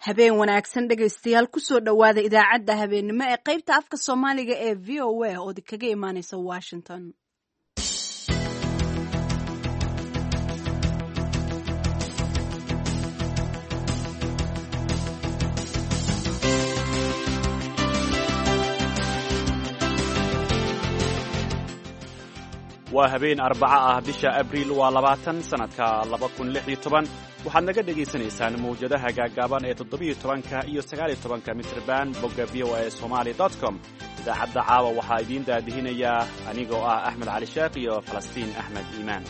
Habeen wanaagsan dhegaystayaal, kusoo dhowaada idaacadda habeennimo ee qaybta afka Soomaaliga ee VOA oo kaga imaaneysa Washington. Waa habeen Arbaco ah, bisha Abriil waa 20, sannadka 2016. Waxaad naga dhegaysanaysaan mawjadaha gaaggaaban ee 17-ka iyo 19-ka mitrban, bogga VOA Somali com. Idaacadda caawa waxaa idiin daadihinayaa anigoo ah Axmed Cali Sheekh iyo Falastiin Axmed Iimaan.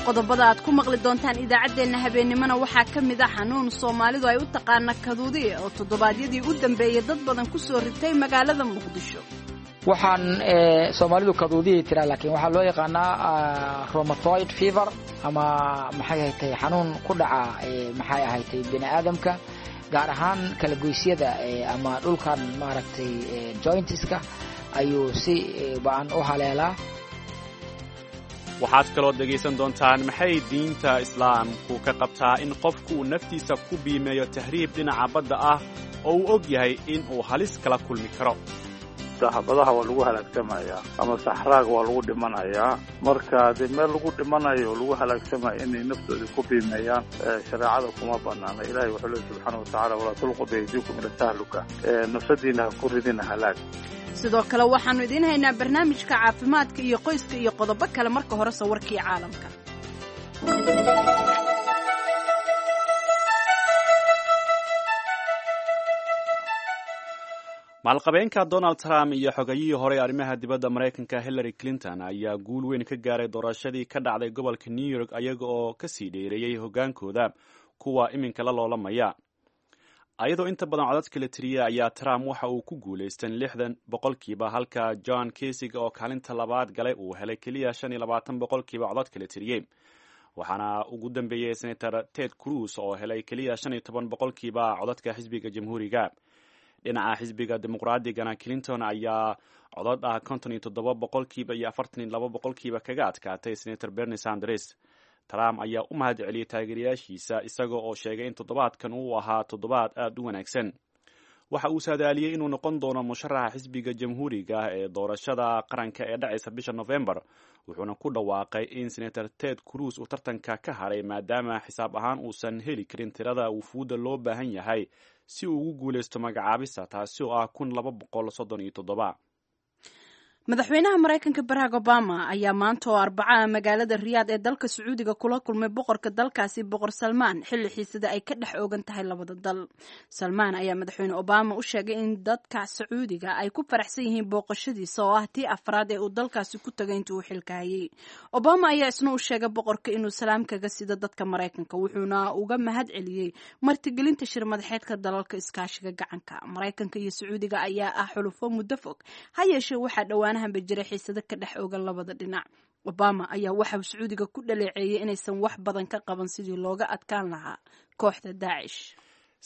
Qodobada aad ku maqli doontaan idaacaddeenna habeennimona waxaa ka mid ah xanuun Soomaalidu ay u taqaana kaduudiye oo toddobaadyadii u dambeeyey dad badan ku soo ritay magaalada Muqdisho. Waxaan Soomaalidu kaduudiyay tiraa, laakiin waxaa loo yaqaanaa romatoid fever ama maxay ahatay xanuun ku dhaca maxay ahatay bini aadamka, gaar ahaan kalagoysyada ama dhulkan maaragtay jointiska ayuu si ba-an u haleelaa. Waxaad kaloo dhegaysan doontaan maxay diinta Islaamku ka qabtaa in qofku uu naftiisa ku biimeeyo tahriib dhinaca badda ah oo uu og yahay in uu halis kala kulmi karo? Badaha waa lagu halaagsamayaa ama saxraaga waa lagu dhimanayaa. Marka dee meel lagu dhimanayo oo lagu halaagsamayo inay naftoodii ku biimeeyaan shareecada kuma banaana. Ilahay wuxuu leey subxaana watacaala, walaa tulqu biaydiikum ila tahluka, nafsadiina ha ku ridina halaag. Sidoo kale waxaannu idiin haynaa barnaamijka caafimaadka iyo qoyska iyo qodobo kale. Marka horese warkii caalamka. Maalqabeenka Donald Trump iyo xogayihii horey arrimaha dibadda Maraykanka Hillary Clinton ayaa guul weyn ka gaaray doorashadii ka dhacday gobolka New York, ayaga oo kasii dheereeyey hoggaankooda kuwa iminka la loolamaya. Ayadoo inta badan codadka la tiriyey ayaa Trump waxa uu ku guulaystay 60%, halka John Kasig oo kaalinta labaad galay uu helay keliya 25% codadka la tiriyey. Waxaana ugu dambeeyey Senator Ted Cruz oo helay keliya 15% codadka xisbiga Jamhuuriga. Dhinaca xisbiga Dimuqraadigana, Clinton ayaa codod ah 57% iyo 42% kaga adkaatay Senator Bernie Sanders. Trump ayaa u mahad celiyey taageerayaashiisa, isaga oo sheegay in toddobaadkan uu ahaa toddobaad aad u wanaagsan. Waxa uu saadaaliyey inuu noqon doono musharaxa xisbiga Jamhuuriga ee doorashada qaranka ee dhacaysa bisha Novembar, wuxuuna ku dhawaaqay in Senator Ted Cruz uu tartanka ka haray maadaama xisaab ahaan uusan heli karin tirada wufuudda loo baahan yahay si uu ugu guulaysto magacaabista, taasi oo ah 1237. Madaxweynaha Maraykanka Barack Obama ayaa maanta oo Arbacaha magaalada Riyaad ee dalka Sacuudiga kula kulmay boqorka dalkaasi, Boqor Salmaan, xilli xiisada ay ka dhex oogan tahay labada dal. Salmaan ayaa Madaxweyne Obama u sheegay in dadka Sacuudiga ay ku faraxsan yihiin booqashadiisa oo ah tii afraad ee uu dalkaasi ku tagay intii uu xilka hayay. Obama ayaa isna u sheegay boqorka inuu salaam kaga sido dadka Maraykanka, wuxuuna uga mahad celiyey martigelinta shir madaxeedka dalalka iskaashiga gacanka. Maraykanka iyo Sacuudiga ayaa ah xulufo muddo fog, ha yeeshee waxaa dhowaan jira xiisado ka dhex oogan labada dhinac. Obama ayaa waxa uu Sacuudiga ku dhaleeceeyey inaysan wax badan ka qaban sidii looga adkaan lahaa kooxda Daacish.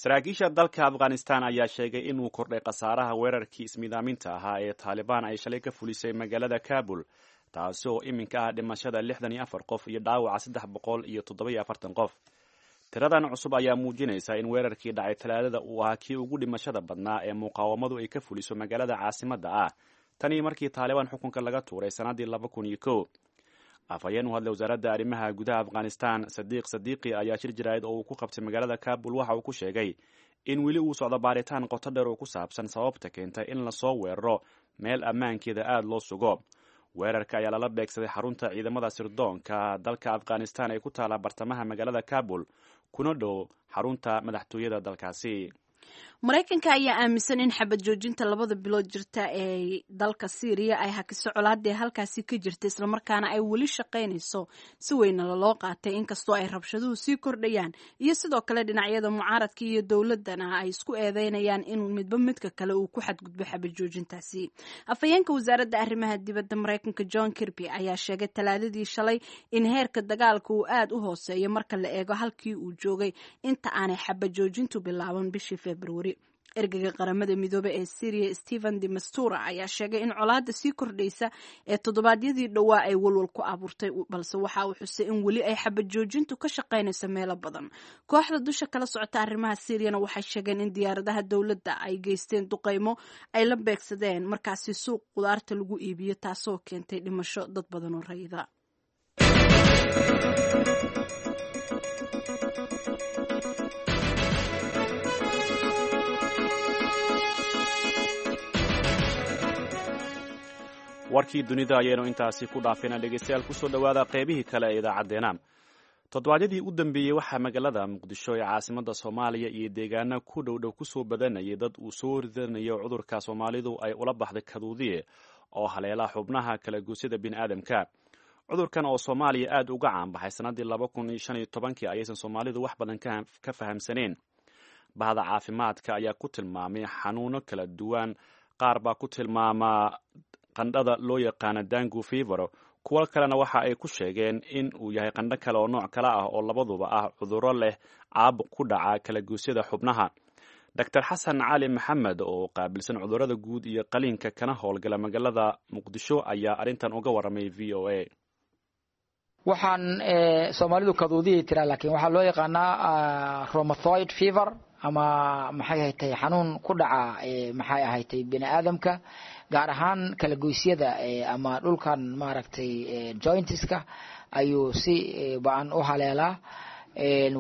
Saraakiisha dalka Afghanistan ayaa sheegay inuu kordhay khasaaraha weerarkii ismiidaaminta ahaa ee Taalibaan ay shalay ka fulisay magaalada Kabul, taasi oo iminka ah dhimashada 64 qof iyo dhaawaca 347 qof. Tiradan cusub ayaa muujinaysa in weerarkii dhacay Talaadada uu ahaa kii ugu dhimashada badnaa ee muqaawamadu ay ka fuliso magaalada caasimadda ah tanii markii Taalibaan xukunka laga tuuray sannaddii 2001. Afhayeen u hadlay wasaaradda arrimaha gudaha Afghanistan, Sadiiq Sadiiqi, ayaa shir jaraa'id oo uu ku qabtay magaalada Kabul waxa uu ku sheegay in weli uu socdo baaritaan qoto dheer oo ku saabsan sababta keentay in lasoo weeraro meel ammaankeeda aada loo sugo. Weerarka ayaa lala beegsaday xarunta ciidamada sirdoonka dalka Afghanistan ee ku taala bartamaha magaalada Kabul, kuna dhow xarunta madaxtooyada dalkaasi. Maraykanka ayaa aaminsan in xabad joojinta labada bilood jirta ee dalka Siiriya ay hakiso colaadee halkaasi ka jirta, islamarkaana ay weli shaqaynayso si weyna laloo qaatay, inkastoo ay rabshaduhu sii kordhayaan iyo sidoo kale dhinacyada mucaaradka iyo dowladana ay isku eedeynayaan in midba midka kale uu ku xadgudbo xabad joojintaasi. Afhayeenka wasaaradda arrimaha dibadda Maraykanka John Kirby ayaa sheegay Talaadadii shalay in heerka dagaalka uu aad u hooseeyo marka la eego halkii uu joogay inta aanay xabad joojintu bilaaban bishii Februari. Ergeyga Qaramada Midoobey ee Syriya, Stephen de Mastura, ayaa sheegay in colaadda sii kordhaysa ee toddobaadyadii dhowaa ay walwal ku abuurtay, balse waxa uu xusay in weli ay xabad joojintu ka shaqaynayso meelo badan. Kooxda dusha kala socota arrimaha Syiriyana waxay sheegeen in diyaaradaha dowladda ay geysteen duqeymo ay la beegsadeen markaasi suuq qudaarta lagu iibiyo, taasoo keentay dhimasho dad badan oo rayida. Warkii dunida ayaynu intaasi ku dhaafayna. Dhegeystayaal, kusoo dhowaada qeybihii kale ee idaacaddeenna. Toddobaadyadii u dambeeyey waxaa magaalada Muqdisho ee caasimadda Soomaaliya iyo deegaano ku dhowdhow kusoo badanayay dad uu soo ridanayo cudurka Soomaalidu ay ula baxday kaduudiye, oo haleela xubnaha kala goosyada bini'aadamka. Cudurkan oo Soomaaliya aad uga caanbaxay sannaddii 2015-kii ayaysan Soomaalidu wax badan ka fahamsaneen. Bahda caafimaadka ayaa ku tilmaamay xanuuno kala duwan. Qaar baa ku tilmaamaa qandhada loo yaqaana dangu fever, kuwo kalena waxa ay ku sheegeen in uu yahay qandho kale oo nooc kale ah, oo labaduba ah cudurro leh caabuq ku dhaca kala goosyada xubnaha. Doctor Xasan Cali Maxamed oo qaabilsan cudurrada guud iyo qaliinka kana howlgala magaalada Muqdisho ayaa arrintan uga warramay VOA. Waxaan Soomaalidu kaduudiyay tiraa, laakiin waxaa loo yaqaanaa rheumatoid fever ama maxay ahatay xanuun ku dhaca maxay ahatay bini aadamka, gaar ahaan kala goysyada ama dhulkan maaragtay jointiska ayuu si ba-an u haleelaa.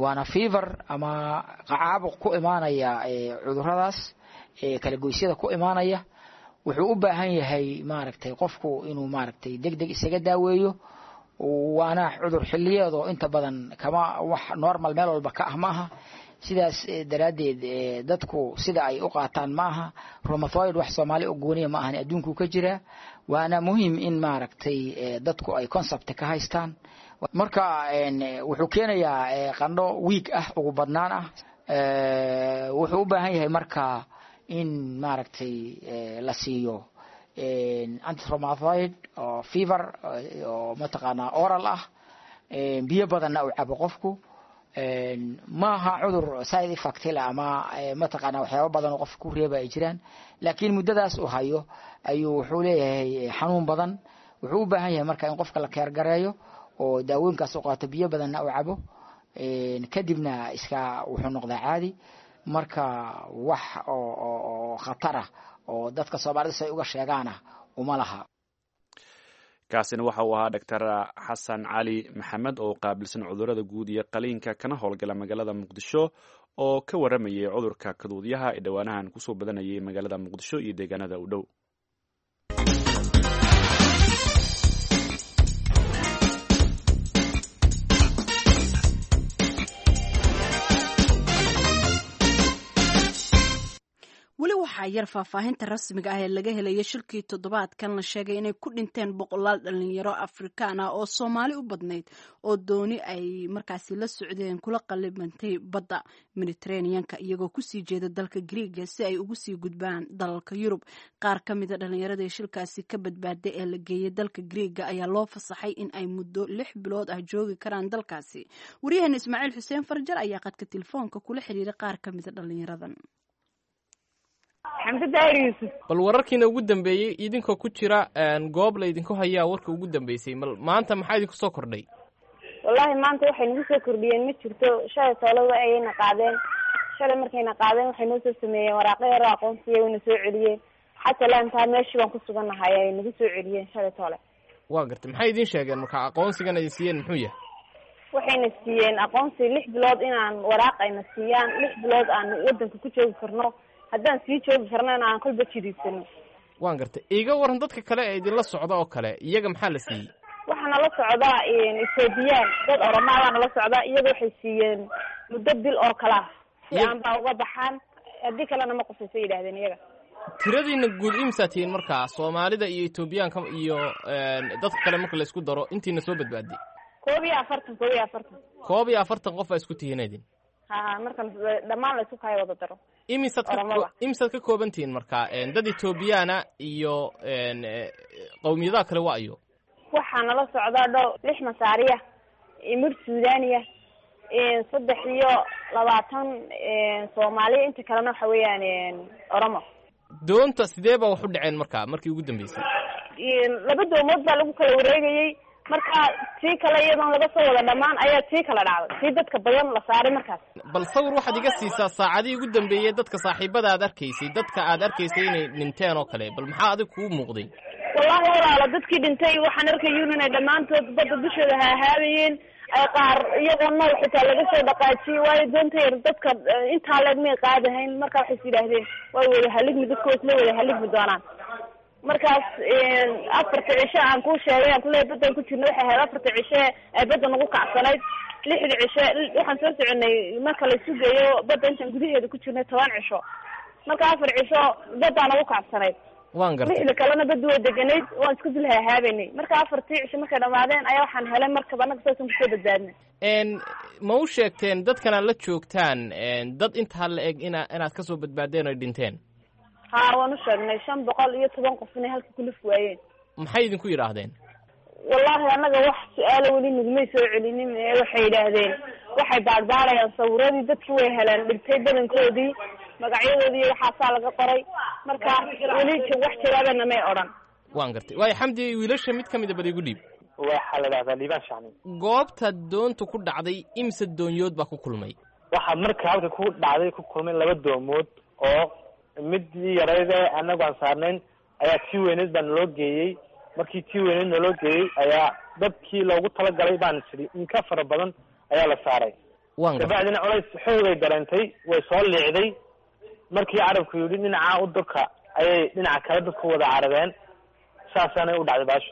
Waana fever ama caabuq ku imaanaya cuduradaas kala goysyada ku imaanaya. Wuxuu u baahan yahay maaragtay qofku inuu maaragtay deg deg isaga daaweeyo, waana cudur xiliyeed oo inta badan kama wax normal meel walba ka ah maaha. Sidaas daraaddeed dadku sida ay u qaataan ma aha. Rheumatoid wax Soomaali u gooniya ma ahan, adduunkuu ka jiraa, waana muhiim in maaragtay dadku ay concept ka haystaan. Marka wuxuu keenayaa qandho week ah ugu badnaan ah. Wuxuu u baahan yahay marka in maaragtay la siiyo antirheumatoid oo fever oo mataqaanaa oral ah, biyo badanna uu cabo qofku. Maaha cudur side effect la ama mataqaanaa waxyaaba badan oo qofka ku reeba ay jiraan, laakiin muddadaas uu hayo ayuu wuxuu leeyahay xanuun badan. Wuxuu u baahan yahay marka in qofka la keergareeyo oo daawooyinkaas u qaato, biyo badanna uu cabo, kadibna iska wuxuu noqdaa caadi. Marka wax oo khatar ah oo dadka Soomaalida si ay uga sheegaana uma laha. Kaasina waxa uu ahaa Doctor Xasan Cali Maxamed oo qaabilsan cudurrada guud iyo qaliinka kana howlgala magaalada Muqdisho, oo ka warramayay cudurka kaduudyaha ee dhowaanahan kusoo badanayay magaalada Muqdisho iyo deegaanada u dhow. Weli waxaa yar faahfaahinta rasmiga ah ee laga helaya shilkii toddobaadkan la sheegay inay ku dhinteen boqolaal dhalinyaro Afrikaan ah oo Soomaali u badnayd, oo dooni ay markaasi la socdeen kula qalibantay badda Mediteraneanka iyagoo kusii jeeda dalka Griiga si ay ugu sii gudbaan dalalka Yurub. Qaar ka mida dhalinyarada ee shilkaasi ka badbaaday ee la geeyay dalka Griiga ayaa loo fasaxay in ay muddo 6 bilood ah joogi karaan dalkaasi. Waryaheena Ismaaciil Xuseen Farjar ayaa qadka telefoonka kula xiriiray qaar ka mida dhalinyaradan. Xamse Daahir Yuusuf. Bal wararkiina ugu dambeeyey, idinkoo ku jira goob la idinku hayaa, warka ugu dambeysay mal maanta maxaa idinku soo kordhay? Wallaahi maanta waxay nagu soo kordhiyeen ma jirto. Shalay toolada ayayna qaadeen. Shalay markayna qaadeen waxay noo soo sameeyeen waraaqo yaro aqoonsiya, wayna soo celiyeen. Xataa laantaa meeshii baan ku sugannahay ay nagu soo celiyeen shalay toole. Waa gartay. Maxay idin sheegeen marka? Aqoonsigan idin siiyeen muxuu yahay? Waxayna siiyeen aqoonsi 6 bilood, inaan waraaq ayna siiyaan 6 bilood aan wadanka ku joogi karno, haddaan sii joogi karnana aan kolba jidiidsano. Waan gartay. Iiga waran dadka kale ee idinla socda oo kale, iyaga maxaa la siiyey? Waxaana la socdaa Ethoobiyan, dad Oromaa baana la socdaa. Iyaga waxay siiyeen muddo bil oo kale ah si aan baa uga baxaan, haddii kalena ma qusaysa yidhahdeen iyaga. Tiradiina guud imsaa tihiin markaa, Soomaalida iyo Etoobiyaanka iyo dadka kale marka la isku daro, intiina soo badbaaday? 41, 41. 41 qof baa isku tihiin idin? Ha, marka dhammaan la isku kaya wada daro. Imisaad ka Oromada. Imisaad ka kooban tihiin marka dad Etoobiyaana iyo qowmiyadaha kale waa ayo? Waxaa nala socdaa dhow lix Masaariya, mid Suudaniya. 23 Soomaaliya, inta kalena waxa weeyaan Oromo. Doonta sidee baa wax u dhaceen marka markii ugu dambeysay? Laba doomood baa lagu kala wareegayey. Marka tii kale iyadoon laga soo wada dhammaan ayaa tii kala dhacday, tii dadka badan la saaray markaas. Bal sawir waxaad iga siisaa saacadihii ugu dambeeyey, dadka saaxiibada aad arkaysay, dadka aad arkaysay inay dhinteen oo kale, bal maxaa adig kuu muuqday? Wallahi walaalo, dadkii dhintay waxaan arkayun inay dhammaantood badda dushooda haahaabayeen, ay qaar iyagoo nool xitaa laga soo dhaqaajiyey, waayo doonta yar dadka intaa leeg may qaadahayn. Marka waxay is yidhaahdeen way wada haligmi, dadka way isla wada haligmi doonaan. Markaas 4ta cisho aan kuu sheegay aan kuleeyahay baddan ku jirna waxay ahayd 4ta cishe ee badda nagu kacsanayd. 6da cishe waxaan soo soconay, marka la isu geeyo badda intaan gudaheeda ku jirnay 10 cisho. Marka 4 cisho baddaa nagu kacsanayd. Waan gartay. 6da kalena badda way deganayd, waan isku dul hahaabanay. Marka 4tii cisho markay dhamaadeen ayaa waxaan helay markaba, annaga saasaan kusoo badbaadnay. Ma u sheegteen dadkan aad la joogtaan dad intaa la eg inaad kasoo badbaadeen oy dhinteen? Haa, waan u sheegnay, 510 qof inay halka kulif waayeen. Maxay idinku yidhaahdeen? Wallahi annaga wax su-aalo weli nagumay soo celinin. Ee waxay yidhaahdeen waxay baadhbaadhayaan sawiradii dadki way heleen dhintay badankoodii, magacyadoodii iyo waxaasaa laga qoray. Marka weli wax jawaabana may odhan. Waan gartay. Waayo Xamdi, wiilasha mid ka mid a bal igu dhiib. Waxaa la dhahdaa Liibaan Shacni. Goobta doonta ku dhacday imse doonyood baa ku kulmay? Waxaa marka halka ku dhacday ku kulmay laba doomood, oo midii yarayd ee anagu aan saarnayn ayaa tii weyneed baa naloo geeyey. Markii tii weyneed naloo geeyey ayaa dadkii loogu talagalay baan sidhi in ka fara badan ayaa la saaray. Waan gartay. Kabacdina culays xoogay dareentay, way soo liicday. Markii carabku yidhi dhinacaa u durka, ayay dhinaca kale dadku wada carabeen, saasaanay u dhacday baashu.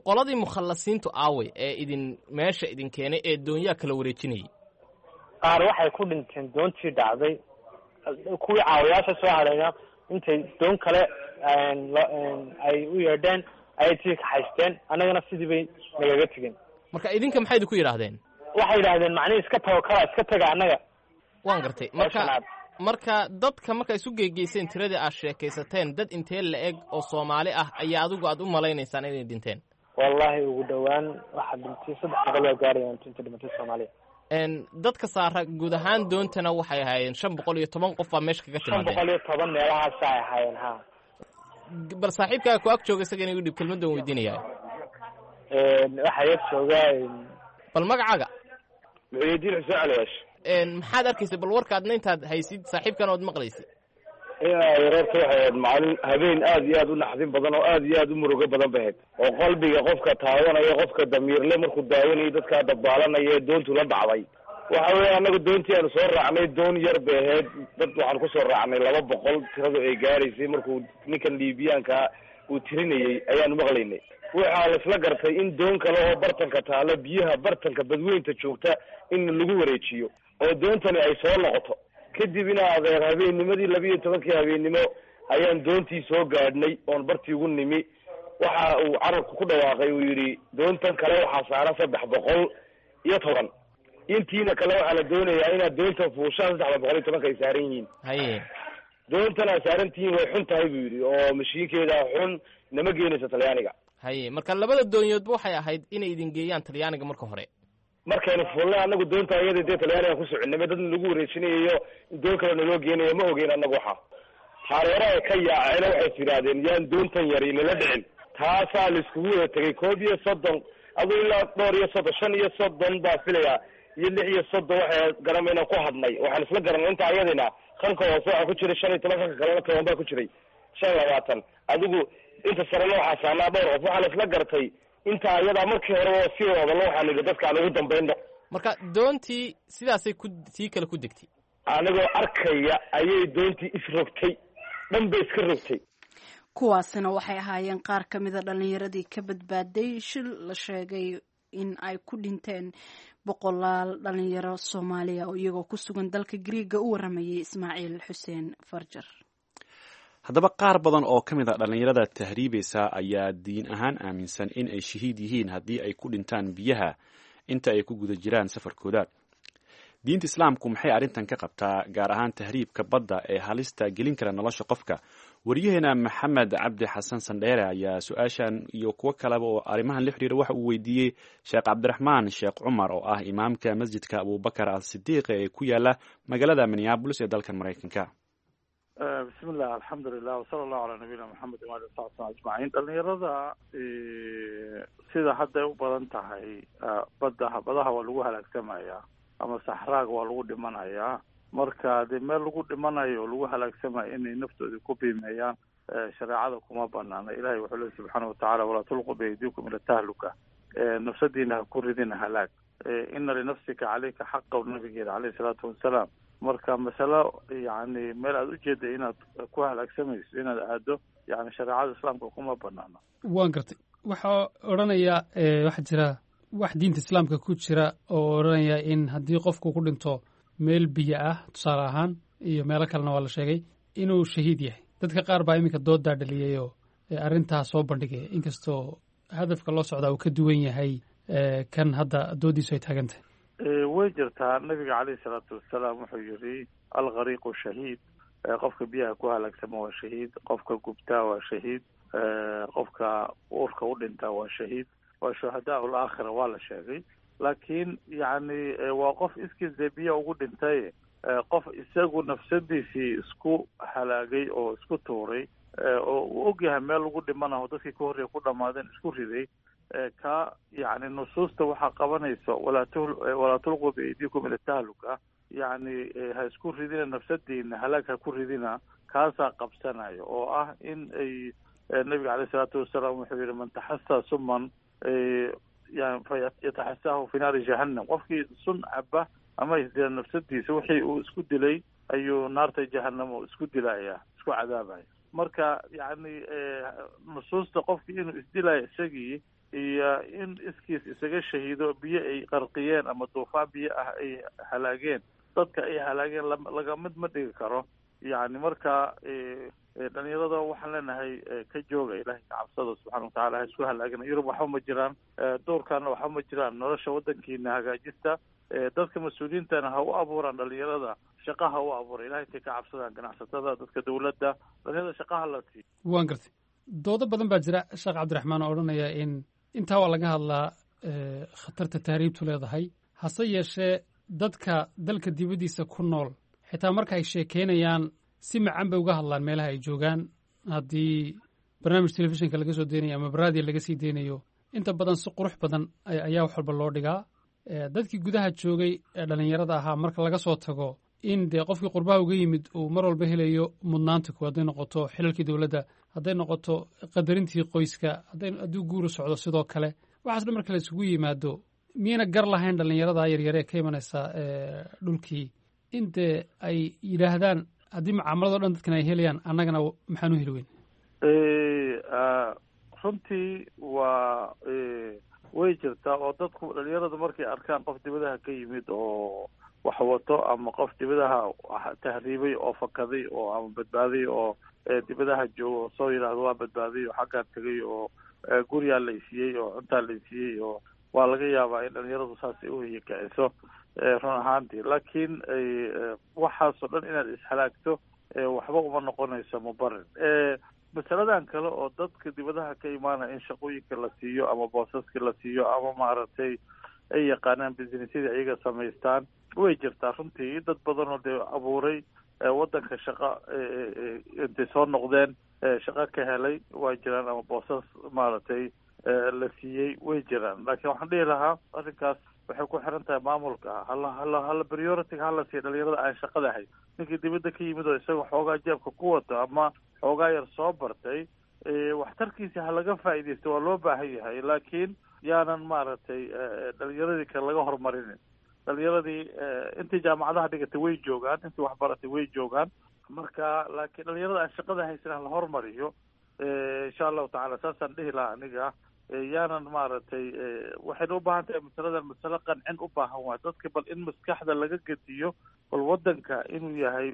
Qoladii mukhallasiintu aaway ee idin meesha idin keenay ee doonyaha kala wareejinayay? Qaar waxay ku dhinteen doontii dhacday, kuwii caawayaasha soo hadhayna intay doon kale ay u yeedheen ayay tii kaxaysteen, annagana sidii bay nagaga tegeen. Marka idinka maxay idinku yidhaahdeen? Waxay yidhaahdeen macnihi iska tawakala, iska taga annaga. Waan gartay. Marka dadka marka isu geegeyseen tiradii aad sheekaysateen, dad intee la eg oo Soomaali ah ayaa adigu aad u malaynaysaan inay dhinteen? Wallahi ugu dhawaan waxaa dhintay 300 waa gaarayaan inta dhimatay Soomaaliya. Dadka saara guud ahaan doontana waxay ahaayeen 510 qof baa meesha kaga timaadeen. 510 meelahaasa ay ahaayeen, ha. Bal saaxiibkaaga ku ag jooga isaga inay u dhib kelmaddan weydiinayaa. Waxaa yag joogaa. Bal magacaaga? Muxuudiin Xuseen Caliwaash. Maxaad arkaysay bal warka adna intaad haysid saaxiibkan ood maqlaysay? Reerka waxay ahayd maalin habeen aad iyo aad u naxdin badan oo aad iyo aad u murugo badan bay ahayd, oo qalbiga qofka taawanaya, qofka damiirle markuu daawanayo dadkaa dabaalanaya ee doontu la dhacday. Waxa weeye annagu doontii aanu soo raacnay doon yar bay ahayd, dad waxaan kusoo raacnay 200 tiradu ay gaaraysay. Markuu ninkan Liibiyaanka uu tirinayey ayaanu maqlaynay. Waxaa laisla gartay in doon kale oo bartanka taalo, biyaha bartanka badweynta joogta, in lagu wareejiyo oo doontani ay soo noqoto. Kadib ina adeer habeennimadii 12-kii habeennimo ayaan doontii soo gaadhnay oon bartii ugu nimi. Waxa uu carabku ku dhawaaqay, uu yidhi doontan kale waxaa saaran 310, intiina kale waxaa la doonayaa inaad doontan fuushaan 310-ka ay saaran yihiin. Haye. Doontan aad saaran tihiin way xun tahay buu yidhi, oo mashiinkeeda xun, nama geenaysa Talyaaniga. Haye, marka labada doonyoodba waxay ahayd inay idin geeyaan Talyaaniga marka hore. Markaynu fuulnay annagu doonta iyada dee Talyaaniga ku soconay, ma dad lagu wareejinayayo doon kale naloo geenayo ma ogeyn annagu. Waxa hareeraha ay ka yaaceen waxay is yidhaahdeen yaan doontan yari nala dhicin. Taasaa laiskugu wada tegay 31, aduu ilaa dhowr iyo soddon, 35 baa filayaa iyo 36 waxay garamayna ku hadnay. Waxaan isla garanay inta ayadina kanka hoose waxaa ku jiray 15, kanka kalena 10 baa ku jiray, 25, adigu inta sarena waxaa saarnaa dhowr qof. Waxaa la isla gartay inta ayadaa markii hore oo sii wadalo waxaan idhi dadka aan ugu dambayno. Marka doontii sidaasay ku tii kale ku degtay. Anigoo arkaya ayay doontii isrogtay, dhan bay iska rogtay. Kuwaasina waxay ahaayeen qaar ka mida dhallinyaradii ka badbaaday shil la sheegay in ay ku dhinteen boqolaal dhalinyaro Soomaaliya oo iyagoo ku sugan dalka Griiga u waramayay Ismaaciil Xuseen Farjar. Haddaba qaar badan oo ka mid a dhallinyarada tahriibaysa ayaa diin ahaan aaminsan in ay shahiid yihiin haddii ay ku dhintaan biyaha inta ay ku guda jiraan safarkooda. Diinta Islaamku maxay arrintan ka qabtaa, gaar ahaan tahriibka badda ee halista gelin kara nolosha qofka? Wariyaheena Maxamed Cabdi Xasan Sandheere ayaa su-aashan iyo kuwo kaleba oo arrimahan la xiriira waxa uu weydiiyey Sheekh Cabdiraxmaan Sheekh Cumar, oo ah imaamka masjidka Abubakar Al Sidiiq ee ku yaala magaalada Minneabolis ee dalkan Maraykanka. Bismillah, alxamdulilah, wasala allahu calaa nabiyina Maxamed waali saxbi ajmaciin. Dhalinyarada sida hadday u badan tahay badda, badaha waa lagu halaagsamayaa ama saxraaga waa lagu dhimanayaa. Marka dee meel lagu dhimanayo oo lagu halaagsamayo inay naftoodii ku biimeeyaan shareecada kuma banaana. Ilahay wuxuu leey subxaana watacaala: "Walaa tulqu biaydiikum ila tahluka", nafsadiina ha ku ridina halaag. "Ina linafsika caleyka xaqa", nabigeeda caleyhi salaatu wasalaam. Marka masalo yani meel aada ujeeda inaad ku halaagsamayso inaad aado, yani shareecada Islaamka kuma banaana. Waan gartay. Waxaa odhanayaa, waxaa jira wax diinta Islaamka ku jira oo odhanaya in haddii qofku ku dhinto meel biyo ah, tusaale ahaan, iyo meelo kalena waa la sheegay, inuu shahiid yahay. Dadka qaar baa iminka doodaa dhaliyayoo arrintaas soo bandhigaya, inkastoo hadafka loo socdaa uu ka duwan yahay kan hadda doodiisu ay taagan tahay. Way jirtaa. Nabiga caleyhi salaatu wasalaam wuxuu yidhi: "Alghariiqu shahiid". Qofka biyaha ku halaagsama waa shahiid, qofka gubtaa waa shahiid, qofka uurka u dhintaa waa shahiid, waa shuhadaa ulaakhira, waa la sheegay. Laakiin yacni waa qof iskiis dee biyo ugu dhintay. Qof isagu nafsadiisii isku halaagay oo isku tuuray oo uu ogyahay meel lagu dhimanaho, dadkii ka horreeya ku dhamaadeen, isku riday, ka yacni nusuusta waxaa qabanaysa "walaa tulquu biaydiikum ila tahluka", yacni ha isku ridina nafsadiina, halaag ha ku ridina, kaasaa qabsanayo oo ah in ay nabiga caleyhi isalaatu wasalaam wuxuu yihi: "Man taxasaa suman yani fayataxasaahu fi naari jahannam". Qofkii sun caba ama isdila nafsadiisa, wixii uu isku dilay ayuu naarta jahanamo isku dilaya, isku cadaabaya. Marka yacni nusuusta qofkii inuu isdilayo isagii iyo in iskiis isaga shahiido biyo ay qarqiyeen ama duufaan biyo ah ay halaageen, dadka ay halaageen, laga mid ma dhigi karo. Yani marka dhalinyarada waxaan leenahay, ka jooga, Ilahay ka cabsada subxana watacala, ha isku halaagina. Yurub waxba ma jiraan, duurkaana waxba ma jiraan. Nolosha waddankiina hagaajista. Dadka mas-uuliyiintana ha u abuuraan dhalinyarada shaqa, ha u abuura. Ilahay intay ka cabsadaan ganacsatada, dadka dowladda, dhalinyarada shaqaha la siiyo. Waan gartay. Doodo badan baa jira, Sheekh Cabdiraxmaan, oo odhanaya in intaa waa laga hadlaa khatarta tahriibtu leedahay, hase yeeshee dadka dalka dibaddiisa ku nool xitaa marka ay sheekeynayaan si macan bay uga hadlaan meelaha ay joogaan. Haddii barnaamij telefishinka laga soo deynayo ama baraadiya laga sii deynayo, inta badan si qurux badan ayaa wax walba loo dhigaa. Dadkii gudaha joogay ee dhallinyarada ahaa marka laga soo tago, in dee qofkii qurbaha uga yimid uu mar walba helayo mudnaanta kuwa, hadday noqoto xilalkii dowladda, hadday noqoto qadarintii qoyska, hadduu guuru socdo sidoo kale, waxaas dhan marka la isugu yimaado, miyayna gar lahayn dhallinyarada yaryare ee ka imanaysa dhulkii in dee ay yidhaahdaan, haddii mucaamalado dhan dadkan ay helayaan, annagana maxaan u heli weyn? Runtii waa way jirtaa oo dadku dhalinyarada markay arkaan qof dibadaha ka yimid oo wax wato, ama qof dibadaha tahriibay oo fakaday oo ama badbaaday oo dibadaha joogo, oo soo yidhaahdo waa badbaaday oo xaggaan tegay oo guriyaa la isiiyey oo cuntaa la isiiyey, oo waa laga yaabaa in dhalinyaradu saas ay uhiyakiciso run ahaantii. Laakiin waxaasoo dhan inaad ishalaagto waxba uma noqonayso mubarir. Masaladan kale oo dadka dibadaha ka imaanaya in shaqooyinka la siiyo ama boosaska la siiyo ama maaragtay ay yaqaanaan businessyada iyaga samaystaan, way jirtaa runtii. Dad badan oo dee abuuray waddanka shaqa intay soo noqdeen shaqo ka helay waa jiraan, ama boosas maaragtay la siiyey way jiraan. Laakiin waxaan dhihi lahaa arrinkaas waxay ku xiran tahay maamulka. Hala priority hala siiya dhalinyarada aan shaqada hayn. Ninkii dibadda ka yimid oo isaga xoogaa jeebka ku wato ama xoogaa yar soo bartay, waxtarkiisa ha laga faa'iidaysto, waa loo baahan yahay. Laakiin yaanan maaragtay dhalinyaradii kale laga horumarinin. Dhalinyaradii intii jaamacadaha dhigatay way joogaan, intii waxbaratay way joogaan. Marka laakiin dhalinyarada aan shaqada haysan hala hormariyo, insha Allahu tacala, saasaan dhihi lahaa aniga. Yaanan maaragtay, waxayna u baahan tahay masaladan masalo qancin u baahan waay dadka, bal in maskaxda laga gediyo, bal waddanka inuu yahay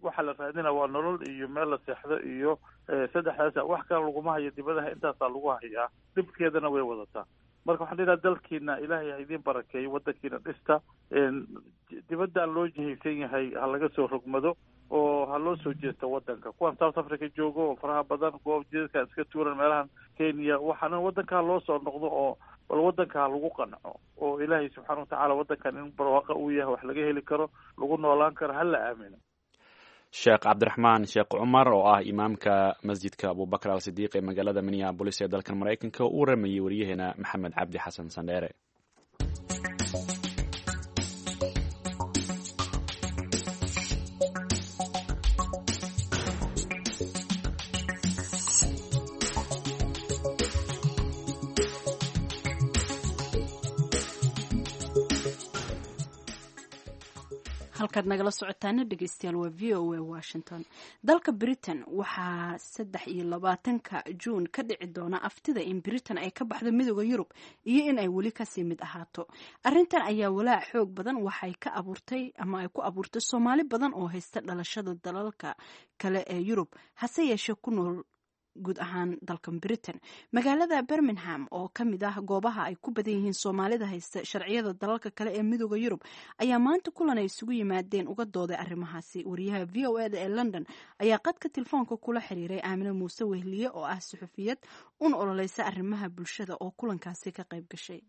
waxa la raadina waa nolol iyo meel la seexdo iyo saddexdaas, wax kale laguma hayo dibadaha, intaasaa lagu hayaa, dhibkeedana way wadataa. Marka waxaan dhihi dalkiina ilaahay ha idiin barakeeyo, waddankiina dhista, dibaddan loo jihaysan yahay ha laga soo rogmado oo ha loo soo jeesto waddanka. Kuwan South Africa joogo oo faraha badan, kuwa jidadka iska tuuran meelahan Kenya, waxaana waddanka ha loo soo noqdo oo bal waddanka ha lagu qanco, oo ilaahay subxaana watacaala waddankan in barwaaqa uu yahay, wax laga heli karo, lagu noolaan karo, ha la aamino. Sheekh Cabdiraxmaan Sheekh Cumar oo ah imaamka masjidka Abubakar al Sidiiq ee magaalada Minneabolis ee dalkan Maraykanka, uu waramayey wariyaheena Maxamed Cabdi Xasan Sandheere. Halkaad nagala socotaana dhegeystayaal waa V O A Washington. Dalka Britain waxaa 23-ka Juun ka dhici doona aftida in Britain ay ka baxdo Midooda Yurub iyo in ay weli kasii mid ahaato. Arrintan ayaa walaac xoog badan waxay ka abuurtay ama ay ku abuurtay Soomaali badan oo haysta dhalashada dalalka kale ee Yurub, hase yeeshee ku nool guud ahaan dalkan Britain. Magaalada Birmingham oo ka mid ah goobaha ay ku badan yihiin Soomaalida haysta sharciyada dalalka kale ee Midooda Yurub ayaa maanta kulan ay isugu yimaadeen uga dooday arrimahaasi. Wariyaha V O E da ee London ayaa qadka telefoonka kula xiriiray Aamine Muuse Wehliye oo ah suxufiyad un ololeysa arrimaha bulshada oo kulankaasi ka qayb gashay.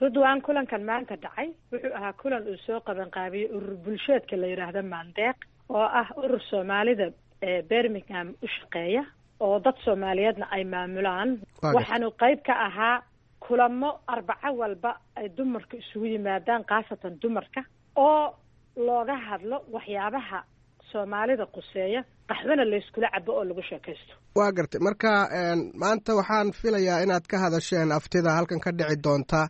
Ridwaan, kulankan maanta dhacay wuxuu ahaa kulan uu soo qabanqaabiyey urur bulsheedka la yidhaahdo Maandeeq, oo ah urur Soomaalida ee Birmingham u shaqeeya oo dad Soomaaliyeedna ay maamulaan. Waxaanu qayb ka ahaa kulamo Arbaco walba ay dumarka isugu yimaadaan, khaasatan dumarka, oo looga hadlo waxyaabaha Soomaalida quseeya, qaxwana layskula cabo oo lagu sheekaysto. Waa gartay. Marka maanta waxaan filayaa inaad ka hadasheen aftida halkan ka dhici doonta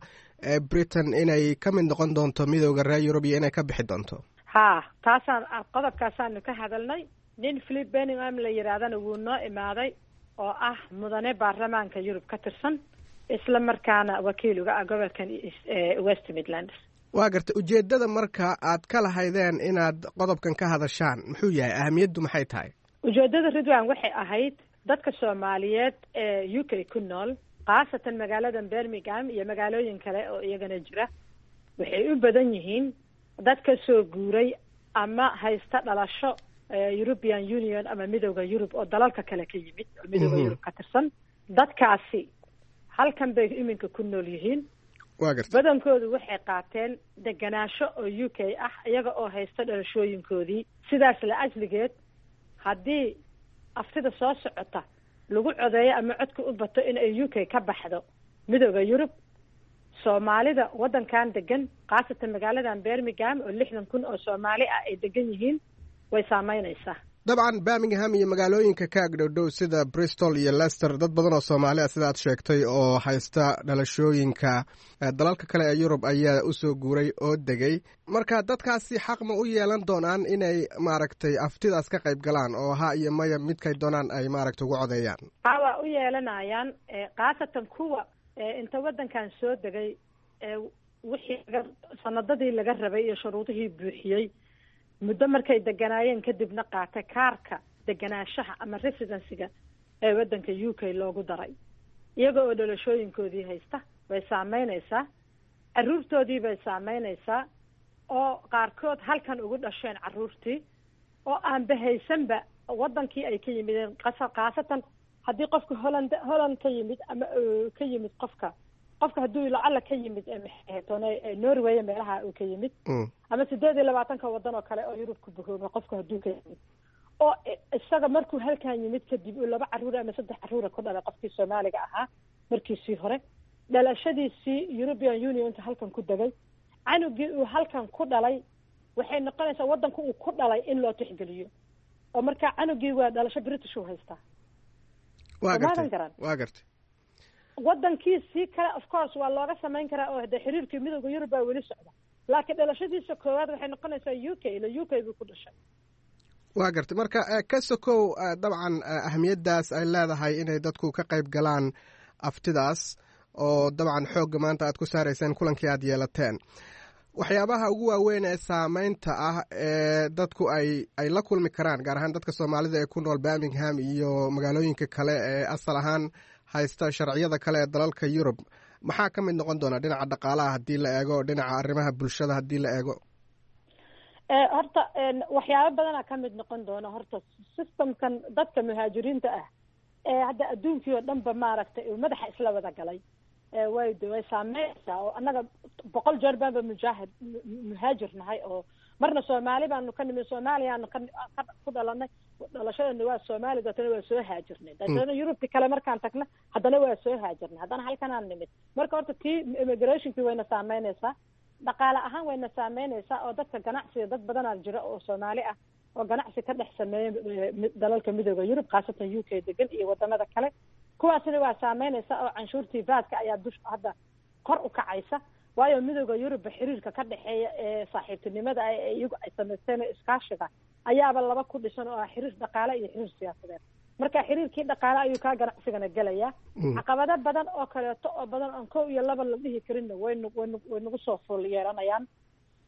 ee Britain inay ka mid noqon doonto Midooda reer Yurub iyo inay ka bixi doonto. Haa, taasaan qodobkaasaanu ka hadalnay. Nin Philip Benningham la yidhaahdana wuu noo imaaday, oo ah mudane baarlamaanka Yurub ka tirsan, isla markaana wakiil uga ah gobolkan West Midlands. Waa gartay. Ujeeddada marka aad ka lahaydeen inaad qodobkan ka hadashaan muxuu yahay? Ahamiyaddu maxay tahay? Ujeeddada, Ridwan, waxay ahayd dadka Soomaaliyeed ee UK ku nool, khaasatan magaaladan Birmingham iyo magaalooyin kale oo iyagana jira, waxay u badan yihiin dad ka soo guuray ama haysta dhalasho European Union ama Midooda Yurub oo dalalka kale ka yimid oo Midooda Yurub ka tirsan. Dadkaasi halkan bay iminka ku nool yihiin. Waa gartay. Badankoodu waxay qaateen deganaansho oo UK ah iyaga oo haysta dhalashooyinkoodii. Sidaas la ajligeed, haddii aftida soo socota lagu codeeyo ama codka u bato in ay UK ka baxdo Midooda Yurub, Soomaalida waddankan degan, khaasatan magaaladan Birmingham oo 60,000 oo Soomaali ah ay degan yihiin, way saameynaysaa. Dabcan Birmingham iyo magaalooyinka ka agdhowdhow sida Bristol iyo Leicester, dad badan oo Soomaali ah, sida aad sheegtay, oo haysta dhalashooyinka dalalka kale ee Yurub ayaa usoo guuray oo degay. Marka dadkaasi xaq ma u yeelan doonaan inay maaragtay aftidaas ka qayb galaan oo ha iyo maya midkay doonaan ay maaragtay ugu codeeyaan? Ha, waa u yeelanayaan, khaasatan kuwa inta waddankan soo degay wixii sanadadii laga rabay iyo shuruudihii buuxiyey, muddo markay deganaayeen kadibna qaatay kaarka deganaanshaha ama residencyga ee waddanka UK loogu daray, iyaga oo dhalashooyinkoodii haysta. Way saameynaysaa, carruurtoodii bay saameynaysaa, oo qaarkood halkan ugu dhasheen carruurtii oo aanba haysanba waddankii ay ka yimideen. Khaasatan haddii qofka Holland ka yimid ama ka yimid qofka hadduu lacala ka yimid maxaytoone Norway, meelaha uu ka yimid, ama 28-ka waddan oo kale oo Yurub ku bahoobay, qofka hadduu ka yimid oo isaga markuu halkan yimid kadib uu laba carruur ama saddex carruura ku dhalay, qofkii Soomaaliga ahaa markiisii hore dhalashadiisii European Unionka halkan ku degay, canugii uu halkan ku dhalay waxay noqonaysaa waddanka uu ku dhalay in loo tixgeliyo, oo markaa canugii waa dhalasho British uu haystaa. Waa gartay, waa gartay. Waddankiisii kale of course waa looga samayn karaa, oo de xiriirkii Midooda Yurub baa weli socda, laakiin dhalashadiisa koowaad waxay noqonaysaa UK, ila UK buu ku dhashay. Waa gartay. Marka ka sokow dabcan ahamiyaddaas ay leedahay inay dadku ka qayb galaan aftidaas, oo dabcan xoogga maanta aad ku saarayseen kulankii aad yeelateen, waxyaabaha ugu waaweyn ee saameynta ah ee dadku ay la kulmi karaan, gaar ahaan dadka Soomaalida ee ku nool Birmingham iyo magaalooyinka kale ee asal ahaan haysta sharciyada kale ee dalalka Yurub, Maxaa ka mid noqon doona dhinaca dhaqaalaha haddii la eego, dhinaca arrimaha bulshada haddii la eego? Horta waxyaabo badanaa ka mid noqon doona. Horta systemkan dadka muhaajiriinta ah ee hadda adduunkii oo dhan ba maaragtay uu madaxa isla wada galay, way saameynaysaa. Oo annaga 100 jeer baanba mujaahid muhaajir nahay, oo marna Soomaali baanu ka nimi, Soomaaliyaanu ka ku dhalanay, dhalashadeena waa Soomaali, deetana waa soo haajirnay, deetana Yurubti kale markaan tagna haddana waa soo haajirnay, haddana halkanaan nimid. Marka horta tii immigrationkii wayna saameynaysaa, dhaqaale ahaan wayna saameynaysaa, oo dadka ganacsiga, dad badanaa jira oo Soomaali ah oo ganacsi ka dhex sameeya dalalka Midooda Yurub, khaasatan UK degan iyo wadamada kale. Kuwaasina waa saameynaysa, oo canshuurtii vaatka ayaa dush hadda kor u kacaysa, waayo Midooda Yurubba xiriirka ka dhexeeya ee saaxiibtinimada ah ee iyagu ay samaysteen iskaashiga ayaaba laba ku dhisan, oo ah xiriir dhaqaale iyo xiriir siyaasadeed. Marka xiriirkii dhaqaale ayuu kaa ganacsigana gelayaa. Caqabado badan oo kaleeto oo badan oon kow iyo laba la dhihi karinna waynu waynu way nagu soo fool yeelanayaan.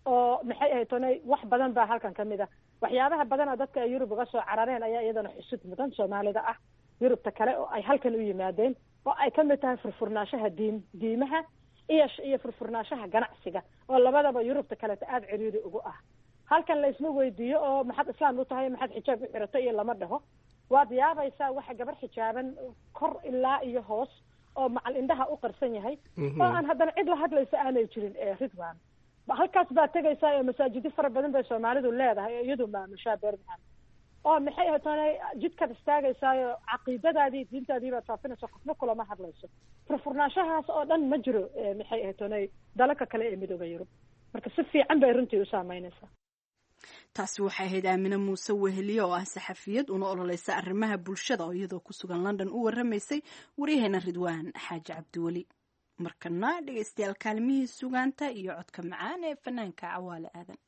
Oo maxay ahayd tonay, wax badan baa halkan kamid ah. Waxyaabaha badana dadka ay Yurub uga soo carareen ayaa iyadana xusud mudan, Soomaalida ah Yurubta kale oo ay halkan u yimaadeen, oo ay kamid tahay furfurnaanshaha diimaha iyo furfurnaanshaha ganacsiga, oo labadaba Yurubta kaleeto aada ciriiri ugu ah. Halkan la isma weydiiyo oo maxaad islaam u tahay, maxaad xijaab u xiratay iyo lama dhaho. Waad yaabaysaa waxa gabar xijaaban kor ilaa iyo hoos oo macal indhaha u qarsan yahay oo aan haddana cid la hadlaysa aanay jirin. Ridwan, halkaas baad tegaysaa oo masaajidyo fara badan bay Soomaalidu leedahay oo iyadu maamushaa Birmingham, oo maxay ahayd jidkaad istaagaysaayo, caqiidadaadii diintaadii baad faafinaysa, qofna kulama hadlayso. Furfurnaanshahaas oo dhan ma jiro maxay ahayd tonay dalalka kale ee Midooda Yurub. Marka si fiican bay runtii u saameynaysaa. Taasi waxay ahayd Aamine Muuse Weheliye oo ah saxafiyad una ololeysa arrimaha bulshada, oo iyadoo ku sugan London u waramaysay waryaheena Ridwaan Xaaji Cabdiweli. Markana dhegeystayaal, kaalmihii sugaanta iyo codka macaan ee fanaanka Cawaale Aadan.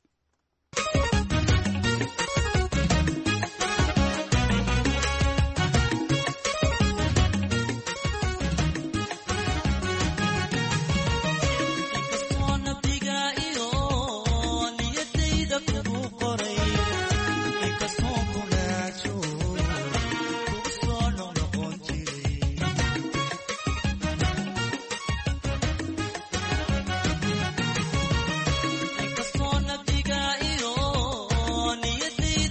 Inkastoo nabdiga iyo niyadayda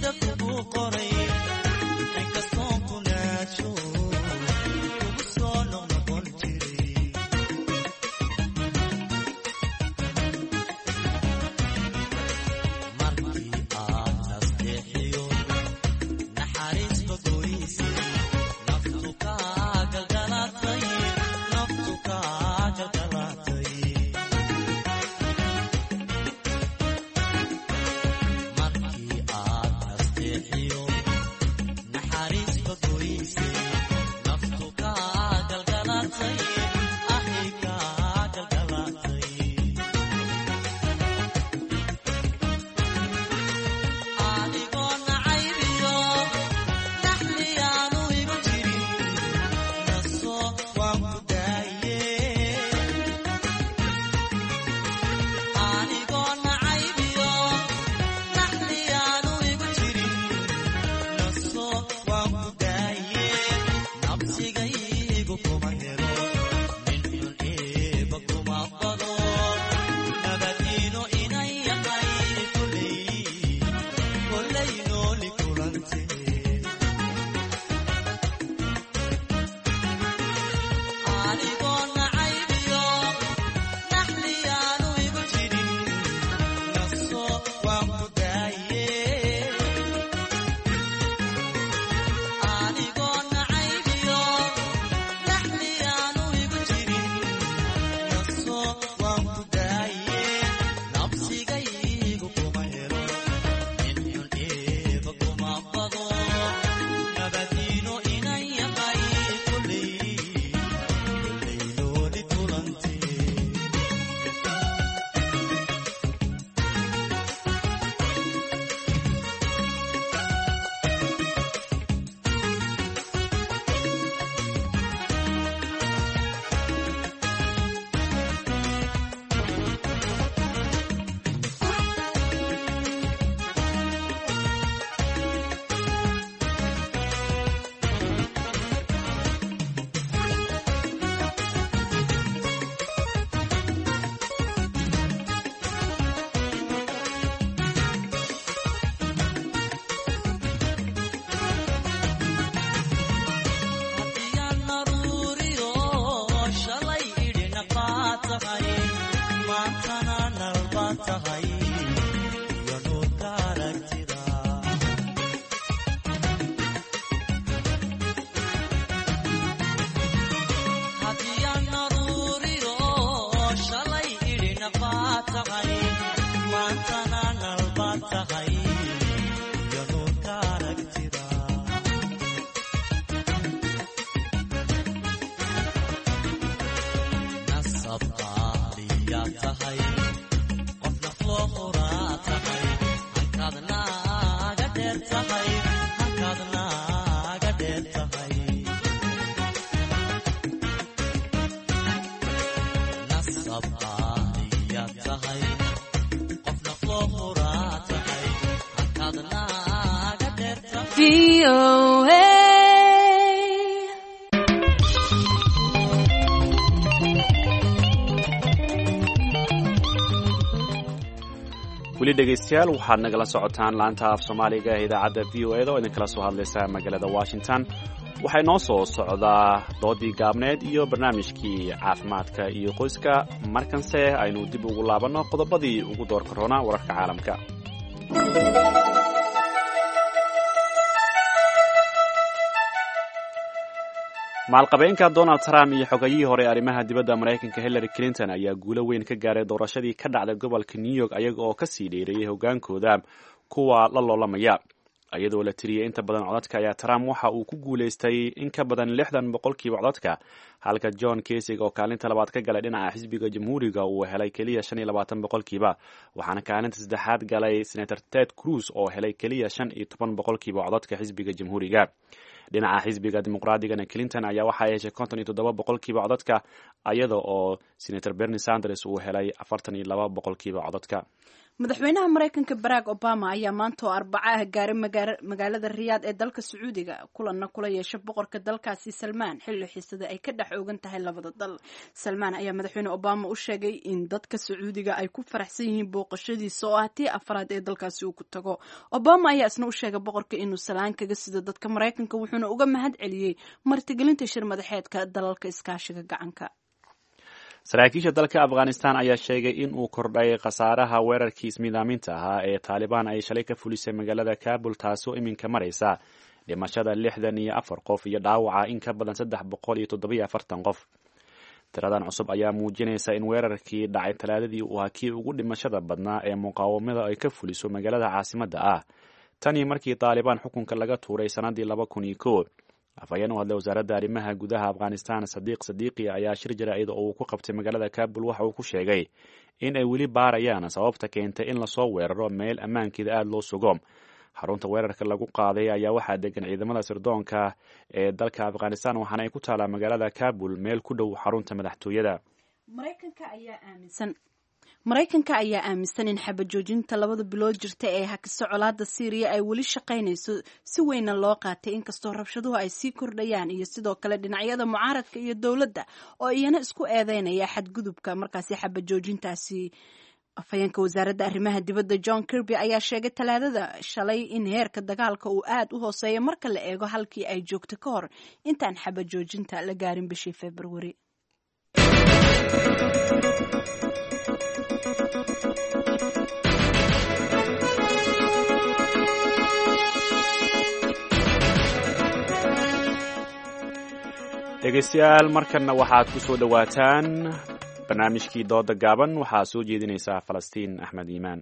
VOA. Weli dhegaystayaal, waxaad nagala socotaan laanta af Soomaaliga ee idaacadda VOA da oo idinkala soo hadlaysa magaalada Washington. Waxay noo soo socdaa doodii gaabneed iyo barnaamijkii caafimaadka iyo qoyska. Markanse aynu dib ugu laabanno qodobadii ugu doorka roonaa wararka caalamka. Maalqabeenka Donald Trump iyo xogayihii hore arrimaha dibadda Maraykanka Hillary Clinton ayaa guulo weyn ka gaaray doorashadii ka dhacday gobolka New York, ayaga oo kasii dheereeyay hogaankooda kuwa la loolamaya. Iyadoo la tiriyey inta badan codadka, ayaa Trump waxa uu ku guulaystay in ka badan 60% codadka, halka John Kasig oo kaalinta labaad ka galay dhinaca xisbiga Jamhuuriga uu helay keliya 25%. Waxaana kaalinta saddexaad galay Senator Ted Cruz oo helay keliya 15% codadka xisbiga Jamhuuriga. Dhinaca xisbiga Dimuqraadigana, Clinton ayaa waxa ay heshay 57% codadka, iyada oo Senator Bernie Sanders uu helay 42% codadka. Madaxweynaha Maraykanka Barack Obama ayaa maanta oo Arbaca ah gaaray magaalada Riyaad ee dalka Sacuudiga, kulanna kula yeesha boqorka dalkaasi Salmaan, xilli xiisada ay ka dhex oogan tahay labada dal. Salmaan ayaa madaxweyne Obama u sheegay in dadka Sacuudiga ay ku faraxsan yihiin booqashadiisa oo ah tii afraad ee dalkaasi uu ku tago. Obama ayaa isna u sheegay boqorka inuu salaan kaga sido dadka Maraykanka, wuxuuna uga mahad celiyey martigelinta shir madaxeedka dalalka iskaashiga gacanka. Saraakiisha dalka Afghanistan ayaa sheegay in uu kordhay khasaaraha weerarkii ismiidaaminta ahaa ee Taalibaan ay shalay ka fulisay magaalada Kabul, taasoo iminka maraysa dhimashada 64 qof iyo dhaawaca in ka badan 347 qof. Tiradan cusub ayaa muujinaysa in weerarkii dhacay Talaadadii uu ahaa kii ugu dhimashada badnaa ee muqaawamada ay ka fuliso magaalada caasimadda ah tanii markii Taalibaan xukunka laga tuuray sannaddii 2001. Afhayeen u hadlay wasaaradda arrimaha gudaha Afghanistan, Sadiiq Sadiiqi, ayaa shir jaraa'id oo uu ku qabtay magaalada Kabul waxa uu ku sheegay in ay weli baarayaan sababta keentay in lasoo weeraro meel ammaankeeda aada loo sugo. Xarunta weerarka lagu qaaday ayaa waxaa degan ciidamada sirdoonka ee dalka Afghanistan, waxaana ay ku taalaa magaalada Kabul meel ku dhow xarunta madaxtooyada. Maraykanka ayaa aaminsan in xabajoojinta 2da bilood jirta ee hakisa colaada Siiriya ay weli shaqaynayso, si weynna loo qaatay, inkastoo rabshaduhu ay sii kordhayaan, iyo sidoo kale dhinacyada mucaaradka iyo dowladda oo iyana isku eedeynaya xadgudubka markaasi xabajoojintaasi. Afhayeenka wasaaradda arrimaha dibadda John Kirby ayaa sheegay Talaadada shalay in heerka dagaalka uu aad u hooseeyo marka la eego halkii ay joogto ka hor intaan xabajoojinta la gaarin bishii Februari. Dhegaystayaal, markanna waxaad ku soo dhowaataan barnaamijkii dooda gaaban. Waxaa soo jeedinaysaa Falastiin Axmed Iimaan.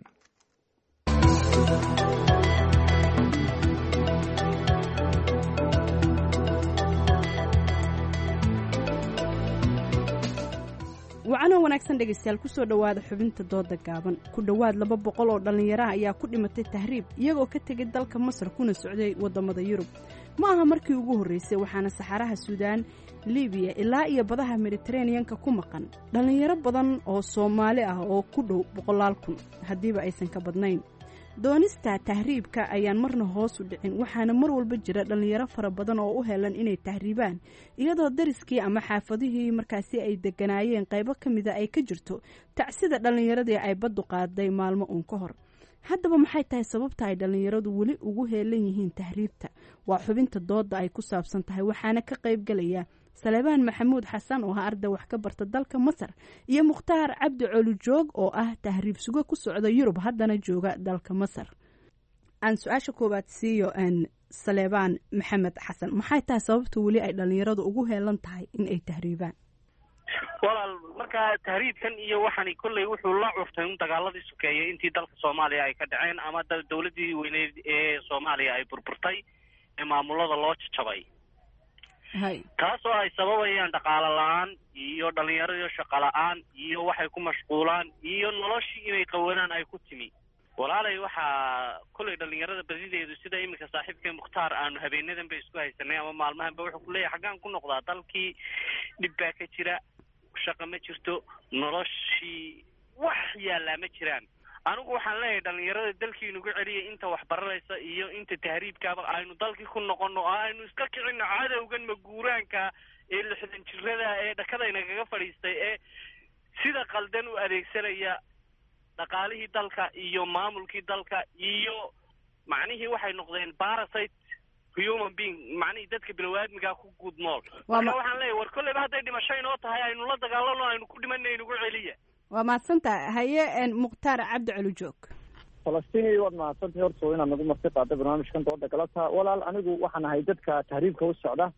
Wacanoo wanaagsan dhegaystayaal, kusoo dhowaada xubinta dooda gaaban. Ku dhowaad 200 oo dhallinyaraha ayaa ku dhimatay tahriib iyagoo ka tegay dalka Masar kuna socday waddamada Yurub. Ma aha markii ugu horreysay, waxaana saxaraha Suudaan, Libiya ilaa iyo badaha Mediteraneanka ku maqan dhallinyaro badan oo Soomaali ah oo ku dhow boqolaal kun, haddiiba aysan ka badnayn. Doonista tahriibka ayaan marna hoos u dhicin, waxaana mar walba jira dhallinyaro fara badan oo u helan inay tahriibaan, iyadoo dariskii ama xaafadihii markaasi ay deganaayeen qaybo ka mida ay ka jirto tacsida dhallinyaradii ay baddu qaaday maalmo uun ka hor. Haddaba maxay tahay sababta ay dhallinyaradu weli ugu heelan yihiin tahriibta? Waa xubinta dooda ay ku saabsan tahay, waxaana ka qaybgalaya Saleebaan Maxamuud Xasan oo ah arday wax ka barta dalka Masar iyo Mukhtaar Cabdi Colujoog oo ah tahriib sugo ku socda Yurub, haddana jooga dalka Masar. Aan su-aasha koowaad siiyo Saleebaan Maxamed Xasan. Maxay tahay sababta weli ay dhallinyaradu ugu heelan tahay in ay tahriibaan? Walaal, markaa tahriibkan iyo waxani kolley wuxuu la curtay un dagaaladii sokeeyey intii dalka Soomaaliya ay ka dhaceen ama dowladdii weyneyd ee Soomaaliya ay burburtay ee maamulada loo jajabay, taasoo ay sababayaan dhaqaalo la-aan iyo dhallinyaradiio shaqo la-aan iyo waxay ku mashquulaan iyo noloshii inay qawanaan ay ku timi. Walaalay, waxaa kolley dhallinyarada badideedu, sida iminka saaxiibkay Mukhtaar aanu habeenadan ba isku haysanay ama maalmahanba, wuxuu kuleeyahay xaggaan ku noqdaa, dalkii dhib baa ka jira, shaqa ma jirto, noloshii wax yaallaa ma jiraan. Anigu waxaan leeyahay dhalinyarada dalkii inugu celiya, inta waxbaranaysa iyo inta tahriibkaaba aynu dalkii ku noqono oo aynu iska kicino cadowgan maguuraanka ee 60 jirada ee dhakada inagaga fadhiistay ee sida qaldan u adeegsanaya dhaqaalihii dalka iyo maamulkii dalka iyo macnihii waxay noqdeen parasite human being, macnihii dadka bilowaaadmigaa ku guud nool. Marka waxaan leeyahay, war kolleyba hadday dhimasho inoo tahay aynu la dagaalano, aynu ku dhimanna, inugu celiya. Waa mahadsantahay. Haye, Mukhtaar Cabdi Celijoog. Falastiini, waad mahadsantahay horta inaad nagu marti qaado barnaamijkan dooda galabta. Walaal, anigu waxaan ahay dadka tahriibka u socda,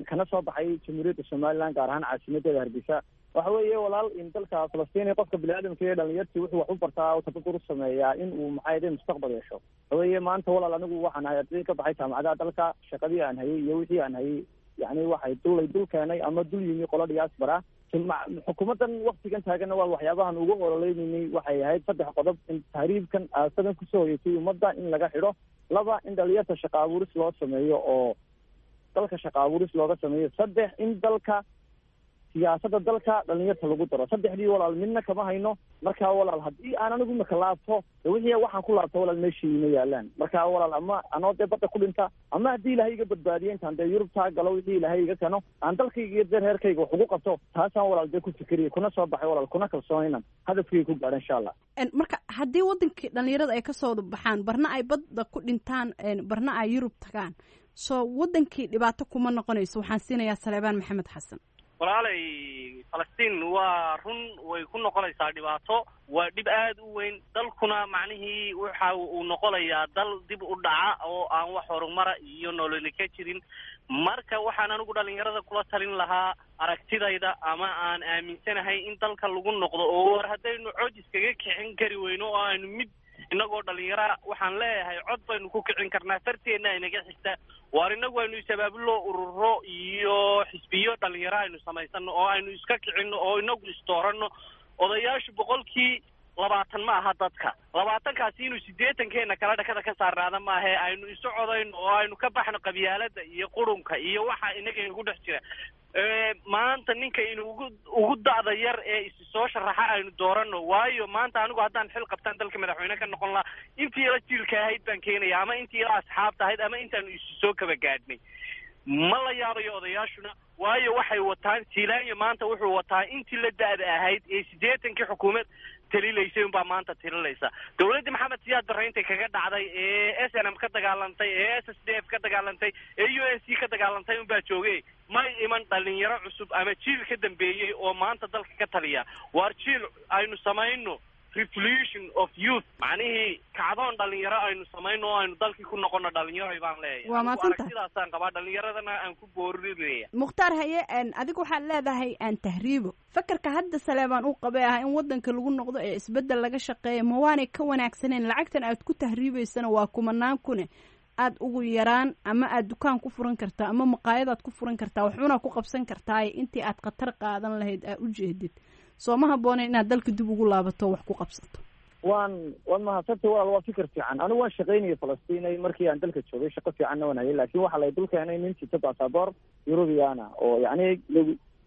kana soo baxay Jamhuuriyadda Somaliland, gaar ahaan caasimadeeda Hargeysa. Waxa weeye walaal, in dalka Falastiini qofka biniaadamka iyo dhalinyartii wuxuu wax u bartaa oo tababar u sameeyaa in uu maxaa mustaqbal yeesho. Waxa weeye maanta walaal, anigu waxaan ahay arday ka baxay jaamacadaha dalka. Shaqadii aan hayay iyo wixii aan hayay, yacni waxay dullay dul keenay ama dul yimi qolo diaspora. Xukuumaddan waktigan taaganna waa waxyaabahan ugu ololeynay waxay ahayd saddex qodob: in tahriibkan aasadan kusoo hoyatay ummadda in laga xidho, laba, in dhalinyarta shaqa abuuris loo sameeyo oo dalka shaqa abuuris looga sameeyo, saddex, in dalka siyaasadda dalka dhalinyarta lagu daro. Saddexdii walaal midna kama hayno. Marka walaal, haddii aan anigu imika laabto, wixii waxaan ku laabto walaal meeshii ima yaalaan. Marka walaal, ama anoo dee badda ku dhinta, ama haddii Ilaahay iga badbaadiyo intaan dee Yurubtaa galo, wixii Ilaahay iga keno aan dalkayga iyo dee reerkayga wax ugu qabto, taasaan walaal dee ku fikiriya kuna soo baxay walaal, kuna kalsoon inaan hadafkayga ku gaadho insha Allah. Marka haddii wadankii dhalinyarada ay kasoo baxaan, barna ay badda ku dhintaan, barna ay Yurub tagaan, soo wadankii dhibaato kuma noqonayso? Waxaan siinayaa Saleebaan Maxamed Xasan. Walaalay Falastiin, waa run, way ku noqonaysaa dhibaato, waa dhib aada u weyn. Dalkuna macnihii waxa uu noqonayaa dal dib u dhaca oo aan wax horumara iyo nololi ka jirin. Marka waxaan anigu dhalinyarada kula talin lahaa, aragtidayda ama aan aaminsanahay, in dalka lagu noqdo oo war haddaynu cod iskaga kicin kari weyno oo aynu mid innagoo dhalinyara, waxaan leeyahay cod baynu ku kicin karnaa, farteenna inaga xigta. Waar innagu aynu is-abaabullo, ururo iyo xisbiyo dhalinyaro aynu samaysano oo aynu iska kicinno oo inagu isdooranno. Odayaashu 20% ma aha dadka, 20-kaasi inuu 80-keena kala dhakada ka saarnaada maahe. Aynu isu codayno oo aynu ka baxno qabyaalada iyo qurunka iyo waxa inaga inagu dhex jira. Maanta ninka inugu ugu da'da yar ee isi soo sharaxa aynu dooranno, waayo maanta anigu haddaan xil qabtaan dalka madaxweyne ka noqon lahaa, intii ila jiilka ahayd baan keenaya, ama intii ila asxaabta ahayd, ama intaanu isu soo kaba gaadhnay. Ma la yaabayo odayaashuna, waayo waxay wataan Siilaanyo maanta wuxuu wataa intii la da'da ahayd ee 80-kii xukuumad talilaysay unbaa maanta talilaysa. Dowladdii Maxamed Siyaad Barre intay kaga dhacday ee SNM ka dagaalantay ee SSDF ka dagaalantay ee UNC ka dagaalantay unbaa joogay. May iman dhalinyaro cusub ama jiil ka dambeeyey oo maanta dalka ka taliya. Waar jiil aynu samayno, revolution of youth, macnihii kacdoon dhalinyaro aynu samayno oo aynu dalkii ku noqono dhalinyaro baan leeyahay. Waa mahadsantahay. Aragtidaasaan qabaa, dhalinyaradana aan ku boorinaya. Mukhtaar, haye, adigu waxaad leedahay aan tahriibo. Fakarka hadda Saleebaan uu qabay ah in wadanka lagu noqdo ee isbeddel laga shaqeeya, ma waanay ka wanaagsaneen? Lacagtan aad ku tahriibaysana waa kumanaan kune, aad ugu yaraan ama aad dukaan ku furan kartaa ama maqaayadaad ku furan kartaa, waxuuna ku qabsan kartaa intii aad khatar qaadan lahayd aa u jeedid. Soo ma habbooneen inaad dalka dib ugu laabato wax ku qabsato? Waad mahadsantay walaal, waa fikir fiican. Anigu waan shaqaynayay Falastiinay markii aan dalka joogay, shaqo fiicanna waan hayay, laakiin waxaa lay dul keenay nin sita basaboor Yurubiyaana oo yacni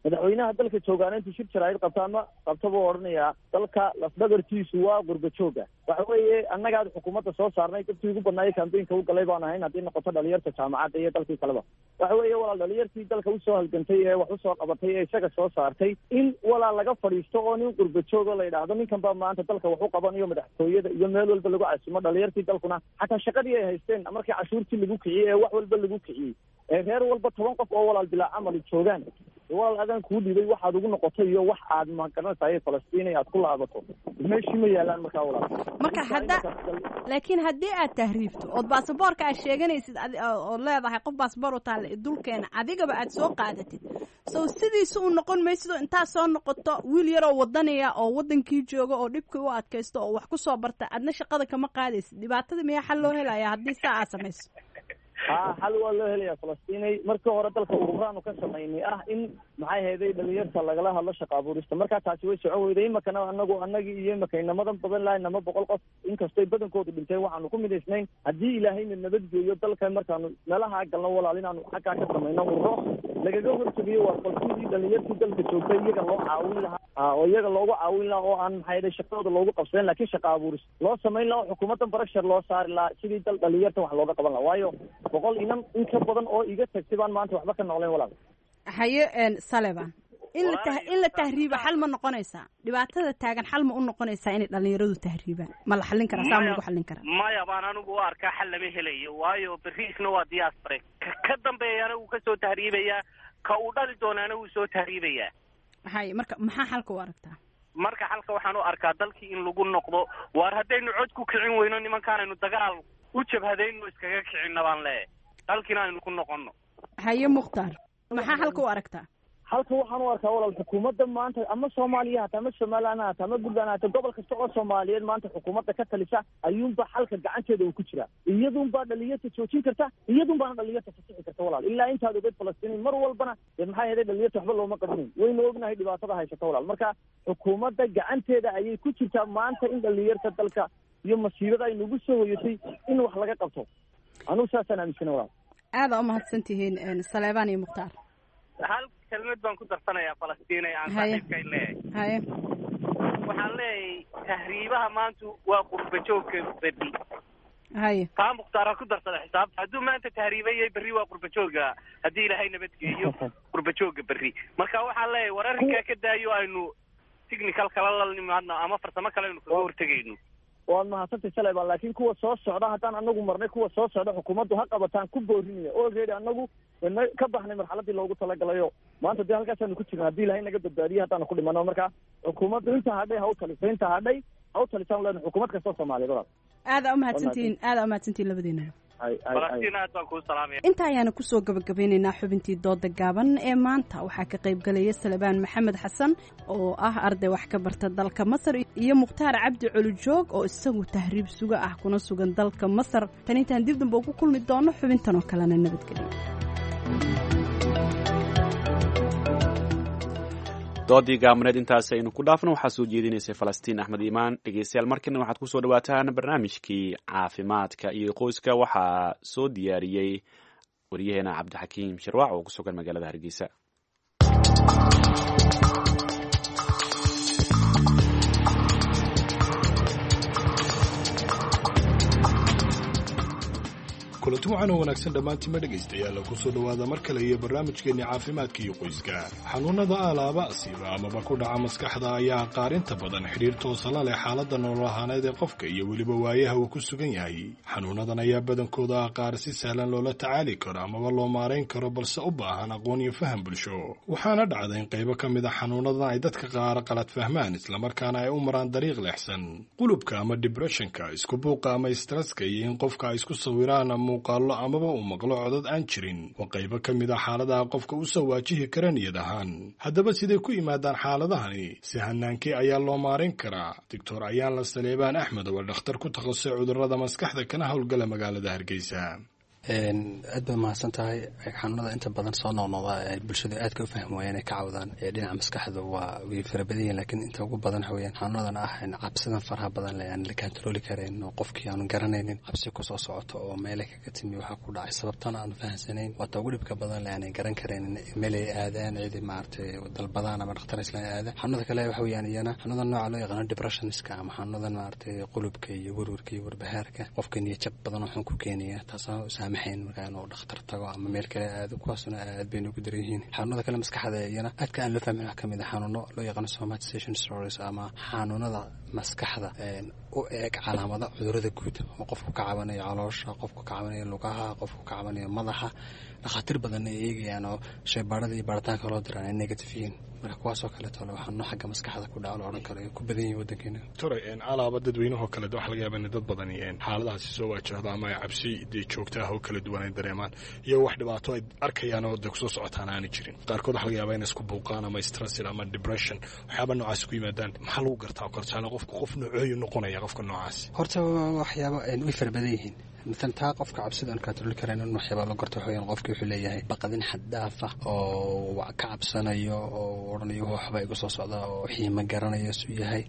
madaxweynaha dalka joogaana intuu shir jaraa'id qabto ama qabto buu odhanayaa dalka lafdhabartiisu waa qurba jooga. Waxa weeye annagaad xukuumadda soo saarnay, dadkii ugu badnaayay kambeynka u galay baan ahayn, haddii noqoto dhalinyarta jaamacadda iyo dalkii kaleba. Waxa weeye walaal, dhalinyartii dalka usoo halgantay ee wax usoo qabatay ee isaga soo saartay in walaal laga fadhiisto oo nin qurba joogo la yidhaahdo ninkan baa maanta dalka wax u qabanayo, madaxtooyada iyo meel walba lagu casimo. Dhalinyartii dalkuna xataa shaqadii ay haysteen markii cashuurtii lagu kiciyey ee wax walba lagu kiciyey ee reer walba 10 qof oo walaal bilaa camali joogaan, walaal adaan kuu dhibay waxaad ugu noqotay iyo wax aad magaranaysaay Falastiin aad ku laabato meeshii ma yaalaan markaa walaal. Marka hadda laakiin haddii aad tahriibto ood baasaboorka aad sheeganaysid ood leedahay qof baasaboor u taalla dulkeena, adigaba aad soo qaadatid, so sidiisa u noqon maysido. Intaad soo noqoto wiil yaroo wadanaya oo wadankii jooga oo dhibkii u adkaysto oo wax ku soo barta, adna shaqada kama qaadaysid. Dhibaatada miyaa xal loo helaya haddii saa aad samayso? Ha, xal waa loo helayaa Falastiinay. Markii hore dalka ururaanu ka samaynay ah in maxay hayday dhalinyarta lagala hadlo shaqa abuurista. Markaa taasi way socon weyday. Imakana anagu anagii iyo imaka inamadan badan lahay, nama 100 qof, inkastoy badankoodu dhinteen, waxaanu ku midaysnayn haddii Ilaahayna nabadgeeyo dalka markaanu meelaha galno, walaal, inaanu xaggaa ka samayno ururo lagaga hortegayo waa bal sidii dhalinyartii dalka joogtay iyaga loo caawin lahaa, oo iyaga loogu caawin lahaa, oo aan maxay hayday shaqadooda loogu qabsanin, laakiin shaqa abuuris loo samayn lahaa, oo xukuumaddan pressure loo saari lahaa sidii dal dhalinyarta wax looga qaban lahaa. Waayo 100 inan in ka badan oo iga tagtay baan maanta waxba ka noqleen, walaal. Haye Saleban, in la tahriiba xal ma noqonaysaa? Dhibaatada taagan xal ma u noqonaysaa inay dhalinyaradu tahriibaan? Ma la xallin karaa? Saa ma lagu xallin karaa? Maya baan anigu u arkaa, xal lama helayo, waayo beriisna waa diaspora, ka dambeeyana wuu kasoo tahriibayaa, ka uu dhali doonaana wuu soo tahriibayaa. Haye, marka maxaa xalka u aragtaa? Marka xalka waxaan u arkaa dalkii in lagu noqdo. Waar haddaynu cod ku kicin weyno nimankaanaynu dagaal u jabhadayno iskaga kicinna baan leeyahay, dalkiina aynu ku noqonno. Haye Mukhtaar, maxaa xalka u aragtaa? Halka waxaan u arkaa, walaal, xukuumadda maanta ama Soomaaliya hata ama Somaliland hata ama Puntland hata, gobol kasta oo Soomaaliyeed maanta xukuumadda ka talisa ayuunba xalka gacanteeda uu ku jiraa. Iyadunbaa dhalinyarta joojin karta, iyadunbaana dhalinyarta fasixi karta, walaal. Ilaa intaad ogeed Falastiin mar walbana dee maxay ahayd dhalinyarta waxba looma qabanayn. Waynu ognahay dhibaatada haysata, walaal. Marka xukuumadda gacanteeda ayay ku jirtaa maanta in dhalinyarta dalka iyo masiibada ay nagu soo hoyatay in wax laga qabto. Anugu saasaan aaminsana, walaal. Aada u mahadsantihiin Saleebaan iyo Mukhtaar. Hal kelmad baan ku darsanayaa, Falastiin, ee aan saaxiibkay leeyahay. Haye. Waxaan leeyahay tahriibaha maanta waa qurba joogka berri. Haye. Taa Mukhtaara ku darsada xisaabta. Hadduu maanta tahriibayay, berri waa qurba jooga, haddii Ilaahay nabadgeeyo, qurba jooga berri. Marka waxaan leeyahay war arrinkaa ka daayo, aynu technical kala la nimaadno ama farsamo kale aynu kaga hortegayno. Waad mahadsantay Saleban, laakiin kuwa soo socda haddaan anagu marnay, kuwa soo socda xukuumaddu ha qabataan ku boorinaya. Already anagu wana ka baxnay marxaladii loogu talagalayo. Maanta dee halkaasaanu ku jirna haddii Ilahay naga badbaadiye haddaanu ku dhimano. Marka xukuumaddu inta hadhay ha u taliso, inta hadhay ha u talisaan leena xukuumad kastoo Soomaaliyeed, walaal. Aada umahadsantihiin, aada umahadsantihiin labadiinaba. Falastiin, aad baan kuu salaamaya. Inta ayaana kusoo gabagabeynaynaa xubintii dooda gaaban ee maanta. Waxaa ka qayb galaya Salebaan Maxamed Xasan oo ah arday wax ka barta dalka Masar iyo Mukhtaar Cabdi Colijoog oo isagu tahriib suga ah kuna sugan dalka Masar. Tan intaan dib dambe ugu kulmi doono xubintan oo kalena, nabadgelyo. Doodii gaabneed intaas aynu ku dhaafno. Waxaa soo jeedinaysay Falastiin Axmed Iimaan. Dhegeystayaal, markana waxaad kusoo dhawaataan barnaamijkii caafimaadka iyo qoyska. Waxaa soo diyaariyey wariyaheena Cabdixakiim Shirwaac oo ku sugan magaalada Hargeysa. Kulanti waxaan oo wanaagsan dhammaantiinma dhegaystayaal, ku soo dhowaada mar kale iyo barnaamijkeenni caafimaadka iyo qoyska. Xanuunnada aalaaba asiiba amaba ku dhaca maskaxda ayaa qaarinta badan xidhiir toosa la leh xaaladda nolol ahaaneed ee qofka iyo weliba waayaha uu ku sugan yahay. Xanuunnadan ayaa badankooda ah qaar si sahlan loola tacaali karo amaba loo maarayn karo, balse u baahan aqoon iyo faham bulsho. Waxaana dhacda in qaybo ka mid a xanuunnadan ay dadka qaar qalad fahmaan, islamarkaana ay u maraan dariiq leexsan. Qulubka ama dibressionka, isku buuqa ama stresska, iyo in qofka ay isku sawiraan muuqaallo amaba uu maqlo codad aan jirin waa qaybo ka mid a xaaladaha qofka u soo waajihi kara niyad ahaan. Haddaba siday ku yimaadaan xaaladahani? Si hanaankii ayaa loo maarin karaa? Doctor Ayaanla Saleebaan Axmed waa dhakhtar ku takhasusay cudurrada maskaxda kana howlgala magaalada Hargeysa. Aad baad mahadsan tahay. Xanuunada inta badan soo noqnoqda ee bulshada aadka u fahmi waayeen ay ka cawdaan ee dhinaca maskaxda waa way fara badan yihiin, laakiin inta ugu badan waxa weeyaan xanuunadan ah cabsidan faraha badan leh aan la kantarooli karayn oo qofkii aanu garanaynin cabsi kusoo socoto oo meele kaga timi, waxaa ku dhacay sababtana aanu fahansanayn. Waata ugu dhibka badan leh aanay garan karaynin meel ay aadaan, cidi maaragtay dalbadaan ama dhakhtar islaan aadaan. Xanuunada kale waxa weeyaan iyana xanuunada nooca loo yaqaano depressionska ama xanuunadan maaragtay qulubka iyo werwerka iyo warbahaarka, qofka niyad jab badan oo xun ku keenaya, taasoo saamaxayn markaa inuu dhakhtar tago ama meel kale aado. Kuwaasna aad bay noogu daran yihiin. Xanuunada kale maskaxda iyana aadka aan loo fahmin wax kamid a xanuuno loo yaqaano somatization stories ama xanuunada maskaxda u eeg calaamada cudurada guud oo qofku ka cabanayo caloosha, qofku ka cabanayo lugaha, qofku ka cabanayo madaxa, dhakhaatiir badan ay eegayaan oo shaybaarada iyo baaritaanka loo diraan ay negative yihiin. Marka kuwaasoo kaleeto le waxaanu xagga maskaxda ku dhaco la odhan karo ay ku badan yihiin waddankeena. Doctor, alaaba dadweynahoo kale waxaa laga yaabaa in dad badani xaaladahaasi soo waajahdo ama ay cabsi dee joogta ah oo kala duwan ay dareemaan iyo wax dhibaato ay arkayaan oo dee kusoo socotaan aanay jirin. Qaarkood waxaa laga yaabaa inay isku buuqaan ama stress ama depression waxyaaba noocaasi ku yimaadaan. Maxaa lagu gartaa oo kale tusaale qofku qof noocooyu noqonaya qofka noocaasi? Horta waxyaaba way fara badan yihiin. Mathalan taa qofka cabsida aan kantarooli karayn in waxyaabaa la gorto waxa weeyaan qofki wuxuu leeyahay baqadin xad dhaaf ah oo ka cabsanayo oo odhanayo waxba igu soo socda oo wixii ma garanayo suu yahay,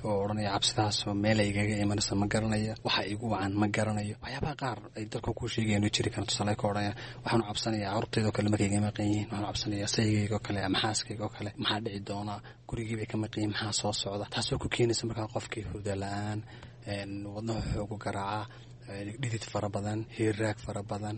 oo odhanaya cabsidaasoo meel ay igaga imanaysa ma garanayo, waxa igu wacan ma garanayo. Waxyaabaha qaar ay dalka kuu sheegayaan jiri karaan, tusaale ka odhanaya waxaanu cabsanayaa carruurtayda oo kale markay iga maqan yihiin, waxaanu cabsanayaa saygayga oo kale ama xaaskayga oo kale, maxaa dhici doona, gurigii bay ka maqan yihiin, maxaa soo socda. Taasoo ku keenaysa markaa qofkii hurda la-aan, wadnaha xoogu garaaca, dhidid fara badan, hiirraag fara badan,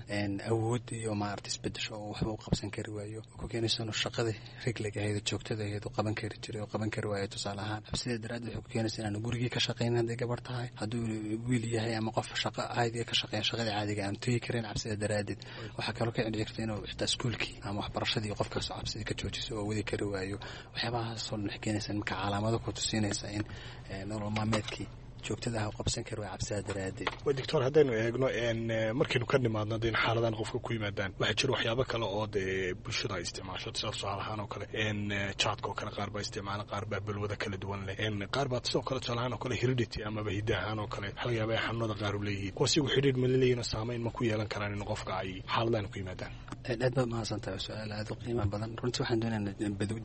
awood iyo maarata isbedesho oo waxba u qabsan kari waayo, oo ku keenaysa inuu shaqadii regleg ahayd joogtada ahayd uu qaban kari jiray oo qaban kari waayo. Tusaale ahaan cabsida daraaddeed waxay ku keenaysa inaanu gurigii ka shaqaynin hadday gabar tahay, hadduu wiil yahay ama qof shaqo caadiga ka shaqeeya shaqadii caadiga aanu tegi karin cabsida daraaddeed. Waxaa kaloo ka dhici karta inuu xitaa iskuulkii ama waxbarashadii qofkaas cabsidii ka joojiso oo wadi kari waayo. Waxyaabahaasoo dhan waxay keenaysa marka calaamado ku tusinaysa in nolol maalmeedkii joogtada ah qabsan kari waa cabsida daraaddeed. Doctor, haddaynu eegno markaynu ka nimaadno dee in xaaladan qofka ku yimaadaan, waxaa jira waxyaabo kale oo dee bulshada ay isticmaasho, sida tusaale ahaan oo kale jaadka oo kale qaar baa isticmaala, qaar baa balwada kala duwan leh, qaar baa sidoo kale tusaale ahaan oo kale heredity amaba hidda ahaan oo kale waxa laga yaaba ay xanuunada qaar u leeyihiin, kuwaas iyagu xidhiidh ma laleeyihin oo saameyn ma ku yeelan karaan in qofka ay xaaladahan ku yimaadaan? Aad baad mahadsan tahay, su-aal aad u qiimo badan. Runtii waxaan doonaynaa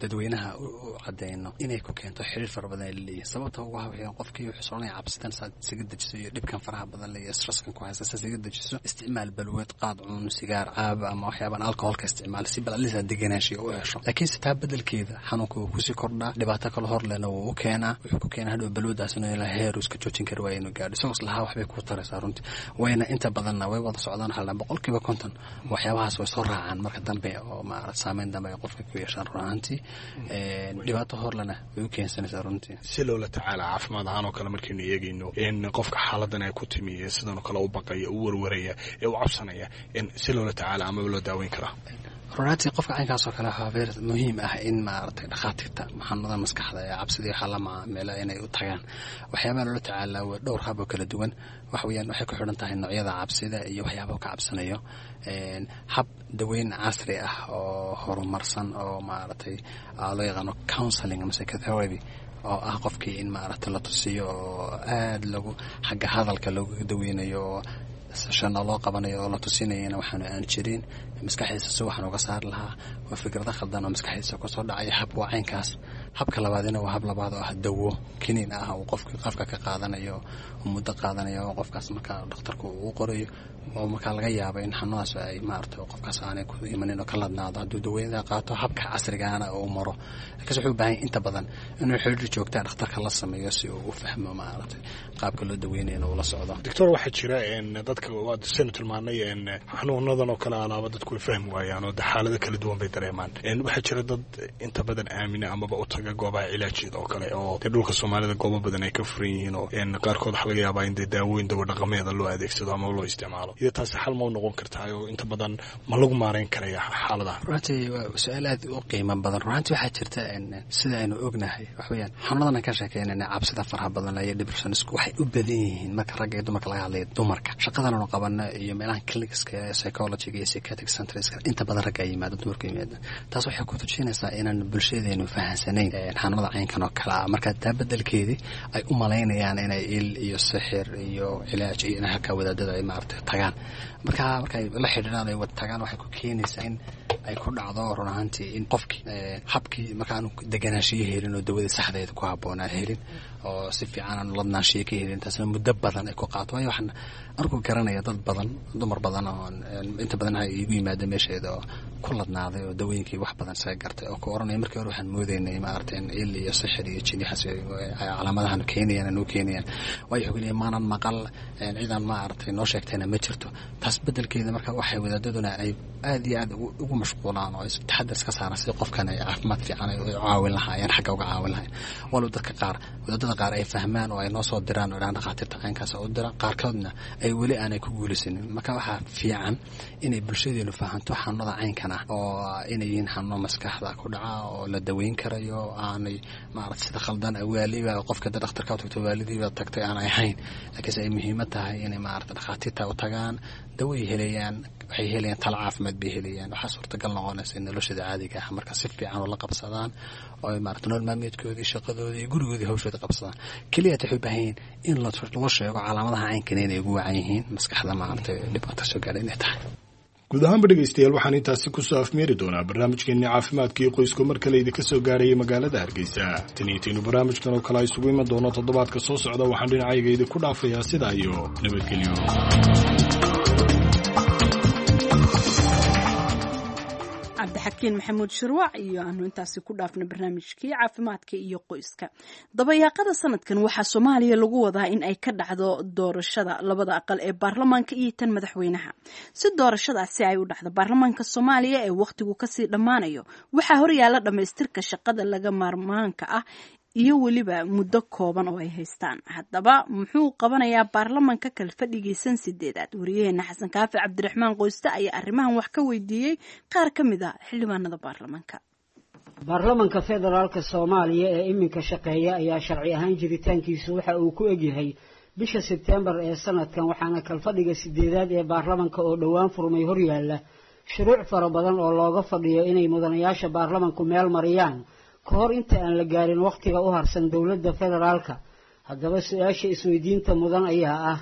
dadweynaha u cadeyno inay ku keento xiriir fara badan ay laleeyihin. Sababta ugu waxay qofkii wuxuu soconaya cabsidan saad isaga dejiso iyo dhibkan faraha badan leh iyo stresskan ku haysta saad isaga dejiso, isticmaal balwad, qaad cun, sigaar caab ama waxyaaban alcoholka isticmaal si bal alisa deganaanshiya u hesho. Laakiinse taa bedelkeeda xanuunka wuu kusii kordhaa, dhibaato kale hor lehna wuu u keenaa. Wuxuu ku keenaa hadhow balwadaas inuu ilaa heer uu iska joojin kari waayo inuu gaadho isagoo islahaa waxbay kuu taraysaa. Runtii wayna inta badanna way wada socdaan, waxaa la 50% waxyaabahaas way soo raacaan marka dambe oo maarata saameyn dambe ay qofka ku yeeshaan. Run ahaantii dhibaato horlena way u keensanaysaa runtii. Si loola tacaala caafimaad ahaan oo kale markaynu eegayno in qofka xaaladan ay ku timi ee sidan oo kale u baqaya, u warwaraya ee u cabsanaya, si loola tacaala amaba loo daaweyn karaa? Runaantii qofka caynkaas oo kale waxaa ver muhiim ah in maaragtay dhakhaatiirta xanuunada maskaxda ee cabsidii waxaa la macaamila inay u tagaan. Waxyaabaha loola tacaalaa waa dhowr hab oo kala duwan. Waxa weeyaan waxay ku xidhan tahay noocyada cabsida iyo waxyaabaha ka cabsanayo. Hab daweyn casri ah oo horumarsan oo maaragtay loo yaqaano counseling ama psychotherapy, oo ah qofkii in maaragtay la tusiyo oo aada lagu xagga hadalka looga daweynayo oo sashana loo qabanayo oo la tusinayana waxaanu aan jirin maskaxdiisa si waxaan uga saari lahaa waa fikrado khaldan oo maskaxdiisa kusoo dhacaya. Hab waa caynkaas. Habka labaadina waa hab labaad oo ah dawo kiniin ah uu qofka qafka ka qaadanayo, muddo qaadanayo oo qofkaas markaa dhakhtarku uu qorayo, oo markaa laga yaabo in xanuunaas ay maaragtay qofkaas aanay ku imanin oo ka ladnaado hadduu dawooyinka qaato habka casrigaana uu maro. Laakiinse wuxuu u baahan yahay inta badan inuu xiriir joogtaa dhakhtarka la sameeyo si uu u fahmo maaragtay qaabka loo daweynayo inuu la socdo. Doctor, waxaa jira dadka waad saynu tilmaanay xanuunadan oo kale alaaba dadku way fahmi waayaan oo de xaalado kala duwan bay dareemaan. Waxaa jira dad inta badan aamina amaba u taga goobaha cilaajeeda oo kale oo dee dhulka soomaalida goobo badan ay ka furan yihiin, oo qaarkood waxaa laga yaabaa in dee daawooyin dawo dhaqameeda loo adeegsado ama loo isticmaalo. Iyo taasi xal ma u noqon kartaa oo inta badan ma lagu maareyn karaya xaaladaha? Runtii waa su-aal aad u qiimo badan. Runtii waxaa jirta sida aynu ognahay wax weeyaan xanuunadan aan ka sheekeynayna cabsida faraha badan iyo depressionisku waxay u badan yihiin marka ragga iyo dumarka laga hadlayo. Dumarka shaqadan aanu qabano iyo meelahan clinicska psychologiga iyo psychiatric centerska inta badan ragga ay yimaado, dumarka yimaada. Taas waxay ku tujinaysaa inaan bulshadeenu fahansanayn xanuunada caynkan oo kale ah. Marka taa bedelkeedii ay u malaynayaan inay il iyo sixir iyo cilaaj iyo inay halkaa wadaadada ay maaragtay tagaan. Marka markay la xidhiidhaan ay wada tagaan waxay ku keenaysaa in ay ku dhacdo run ahaantii in qofkii habkii markaanu deganaanshiyo helin oo dawadii saxdeeda ku habboonaa helin oo si fiican aanu ladnaanshiyo ka helin, taasna muddo badan ay ku qaato. Waayo waxaan anigu garanaya dad badan, dumar badan oo inta badan ha iigu yimaada meesheeda oo ku ladnaaday oo dawooyinkii wax badan isaga gartay oo ku oranaya markii hore waxaan moodaynay maaragtay in il iyo sixir iyo jin waxaas ay calaamadahan keenayaan anuu keenayaan. Waayo wuxuu leeyahay maanan maqal ciidan maaragtay noo sheegtayna ma jirto. Taas bedelkeeda marka waxay wadaadaduna ay aad iyo aad ugu mashquulaan oo taxadar iska saaran sidii qofkan ay caafimaad fiican ay u caawin lahaayeen, xagga uga caawin lahaayeen. Walow dadka qaar wadaadada qaar ay fahmaan oo ay noo soo diraan oo dhahaan dhakhaatiirta caynkaas u diraan, qaarkoodna ay weli aanay ku guulaysanin. Marka waxaa fiican inay bulshadeenu fahanto xanuunada caynkan ah oo inay yihiin xanuuno maskaxda ku dhaca oo la daweyn karayo, aanay maaragtay sida khaldan waaliba qofka dad dhakhtarka u tagto waalidiiba tagtay aanay ahayn, laakiinse ay muhiimad tahay inay maaragtay dhakhaatiirta u tagaan, Daway helayaan, waxay helayaan talo caafimaad bay helayaan. Waxaa suurtagal noqonaysa in noloshooda caadiga ah marka si fiican ula qabsadaan oo ay maarata nolol maalmeedkoodii, shaqadoodii iyo gurigoodii hawshooda qabsadaan. Keliya waxay u baahan yihiin in loo sheego calaamadaha caynkana inay ugu wacan yihiin maskaxda maaragtay dhibaato soo gaadha inay tahay. Guud ahaanba dhegaystayaal, waxaan intaasi kusoo afmeeri doonaa barnaamijkeenni caafimaadka iyo qoysku mar kale idinka soo gaarayay magaalada Hargeysa. Tan iyo taynu barnaamijkan oo kale a isugu iman doono toddobaadka soo socda, waxaan dhinacayga idinku dhaafayaa sidaa iyo nabadgelyo. Cabdixakiin Maxamuud Shirwac iyo aanu intaasi ku dhaafno barnaamijkii caafimaadka iyo qoyska. Dabayaaqada sanadkan waxaa Soomaaliya lagu wadaa in ay ka dhacdo doorashada labada aqal ee baarlamaanka iyo tan madaxweynaha. Si doorashadaasi ay u dhacdo, baarlamaanka Soomaaliya ee wakhtigu kasii dhammaanayo waxaa horyaala dhammaystirka shaqada laga maarmaanka ah iyo weliba muddo kooban oo ay haystaan. Haddaba muxuu qabanayaa baarlamaanka kalfadhigiisan sideedaad? Wariyaheena Xasan Kaafi Cabdiraxmaan Qoyste ayaa arrimahan wax ka weydiiyey qaar ka mid a xildhibaanada baarlamaanka. Baarlamanka federaalka Soomaaliya ee iminka shaqeeya ayaa sharci ahaan jiritaankiisu waxa uu ku egyahay bisha Sebtembar ee sanadkan, waxaana kalfadhiga sideedaad ee baarlamanka oo dhowaan furmay horyaala shuruuc fara badan oo looga fadhiyo inay mudanayaasha baarlamanku meel mariyaan ka hor inta aan la gaarin wakhtiga u harsan dowladda federaalka. Haddaba su-aasha isweydiinta mudan ayaa ah,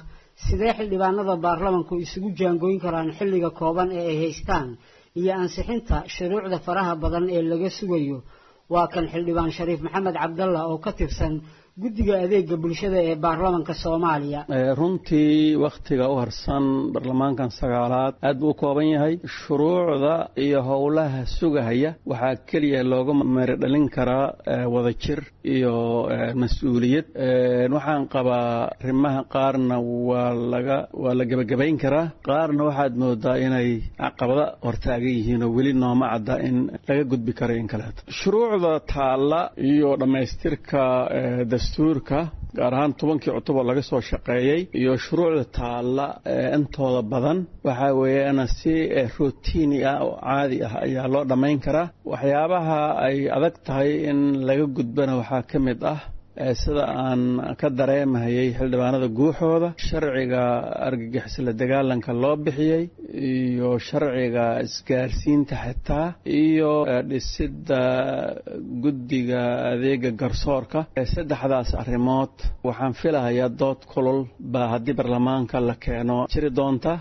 sidee xildhibaanada baarlamanku isugu jaangoyn karaan xilliga kooban ee ay haystaan iyo ansixinta shuruucda faraha badan ee laga sugayo? Waa kan xildhibaan Shariif Maxamed Cabdalla oo ka tirsan guddiga adeega bulshada ee baarlamanka Soomaaliya. Runtii wakhtiga u harsan baarlamaankan sagaalaad aad buu u kooban yahay. Shuruucda iyo howlaha sugahaya waxaa keliya looga meerdhalin karaa wadajir iyo mas-uuliyad. Waxaan qabaa arrimaha qaarna waa laga waa la gebagabayn karaa, qaarna waxaad moodaa inay caqabada hortaagan yihiin oo weli nooma cadda in laga gudbi karo in kaleeto. Shuruucda taalla iyo dhammaystirka dastuurka, gaar ahaan 10kii cutuboo laga soo shaqeeyey, iyo shuruucda taalla intooda badan waxaa weeyaan si routini ah oo caadi ah ayaa loo dhammayn karaa. Waxyaabaha ay adag tahay in laga gudbana waxaa ka mid ah, sida aan ka dareemahayay xildhibaanada guuxooda, sharciga argagixis la dagaalanka loo bixiyey iyo sharciga isgaarsiinta xitaa iyo dhisidda guddiga adeega garsoorka. Saddexdaas arrimood waxaan filahayaa dood kulul baa haddii baarlamaanka la keeno jiri doonta,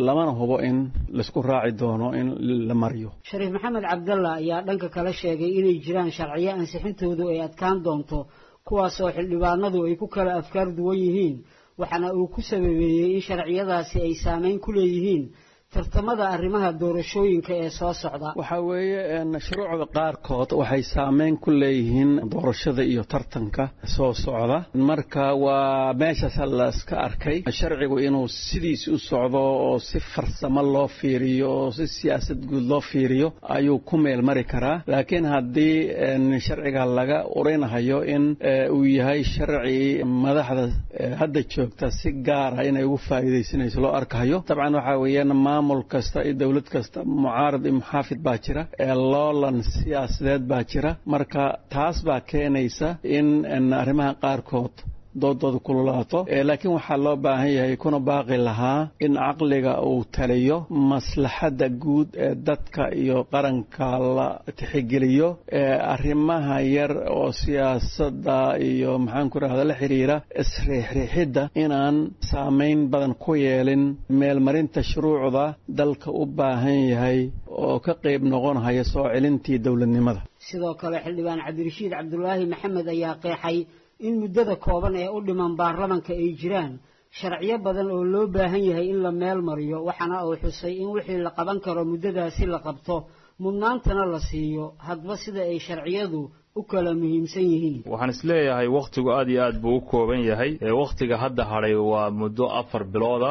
lamana hubo in laisku raaci doono in la mariyo. Shariif Maxamed Cabdalla ayaa dhanka kale sheegay inay jiraan sharciyo ansixintoodu ay adkaan doonto, kuwaasoo xildhibaanadu ay ku kala afkaar duwan yihiin, waxaana uu ku sababeeyey in sharciyadaasi ay saameyn ku leeyihiin tartamada arrimaha doorashooyinka ee soo socda. Waxaa weeye shuruucda qaarkood waxay saameyn ku leeyihiin doorashada iyo tartanka soo socda. Marka waa meeshaas la iska arkay sharcigu inuu sidiis u socdo oo si farsamo loo fiiriyo oo si siyaasad guud loo fiiriyo ayuu ku meel mari karaa, laakiin haddii sharciga laga urinahayo in uu yahay sharci madaxda hadda joogta si gaara inay ugu faa'iidaysanayso loo arkahayo, dabcan waxaa weeyaan maamul kasta iyo dowlad kasta mucaarad iyo muxaafid baa jira, loolan siyaasadeed baa jira. Marka taas baa keenaysa in arrimaha qaarkood doodooda kululaato, laakiin waxaa loo baahan yahay kuna baaqi lahaa in caqliga uu taliyo, maslaxadda guud ee dadka iyo qaranka la tixgeliyo, arrimaha yar oo siyaasadda iyo maxaan ku rahda la xiriira isriixriixidda inaan saameyn badan ku yeelin meelmarinta shuruucda dalka u baahan yahay oo ka qayb noqonhaya soo celintii dowladnimada. Sidoo kale xildhibaan Cabdirashiid Cabdulaahi Maxamed ayaa qeexay in muddada kooban ee u dhiman baarlamanka ay jiraan sharciyo badan oo loo baahan yahay in la meel mariyo, waxaana uu xusay in wixii la qaban karo muddadaasi la qabto, mudnaantana la siiyo hadba sida ay sharciyadu u kala muhiimsan yihiin. Waxaan isleeyahay wakhtigu aad iyo aad buu u kooban yahay. Wakhtiga hadda hadhay waa muddo 4 bilooda.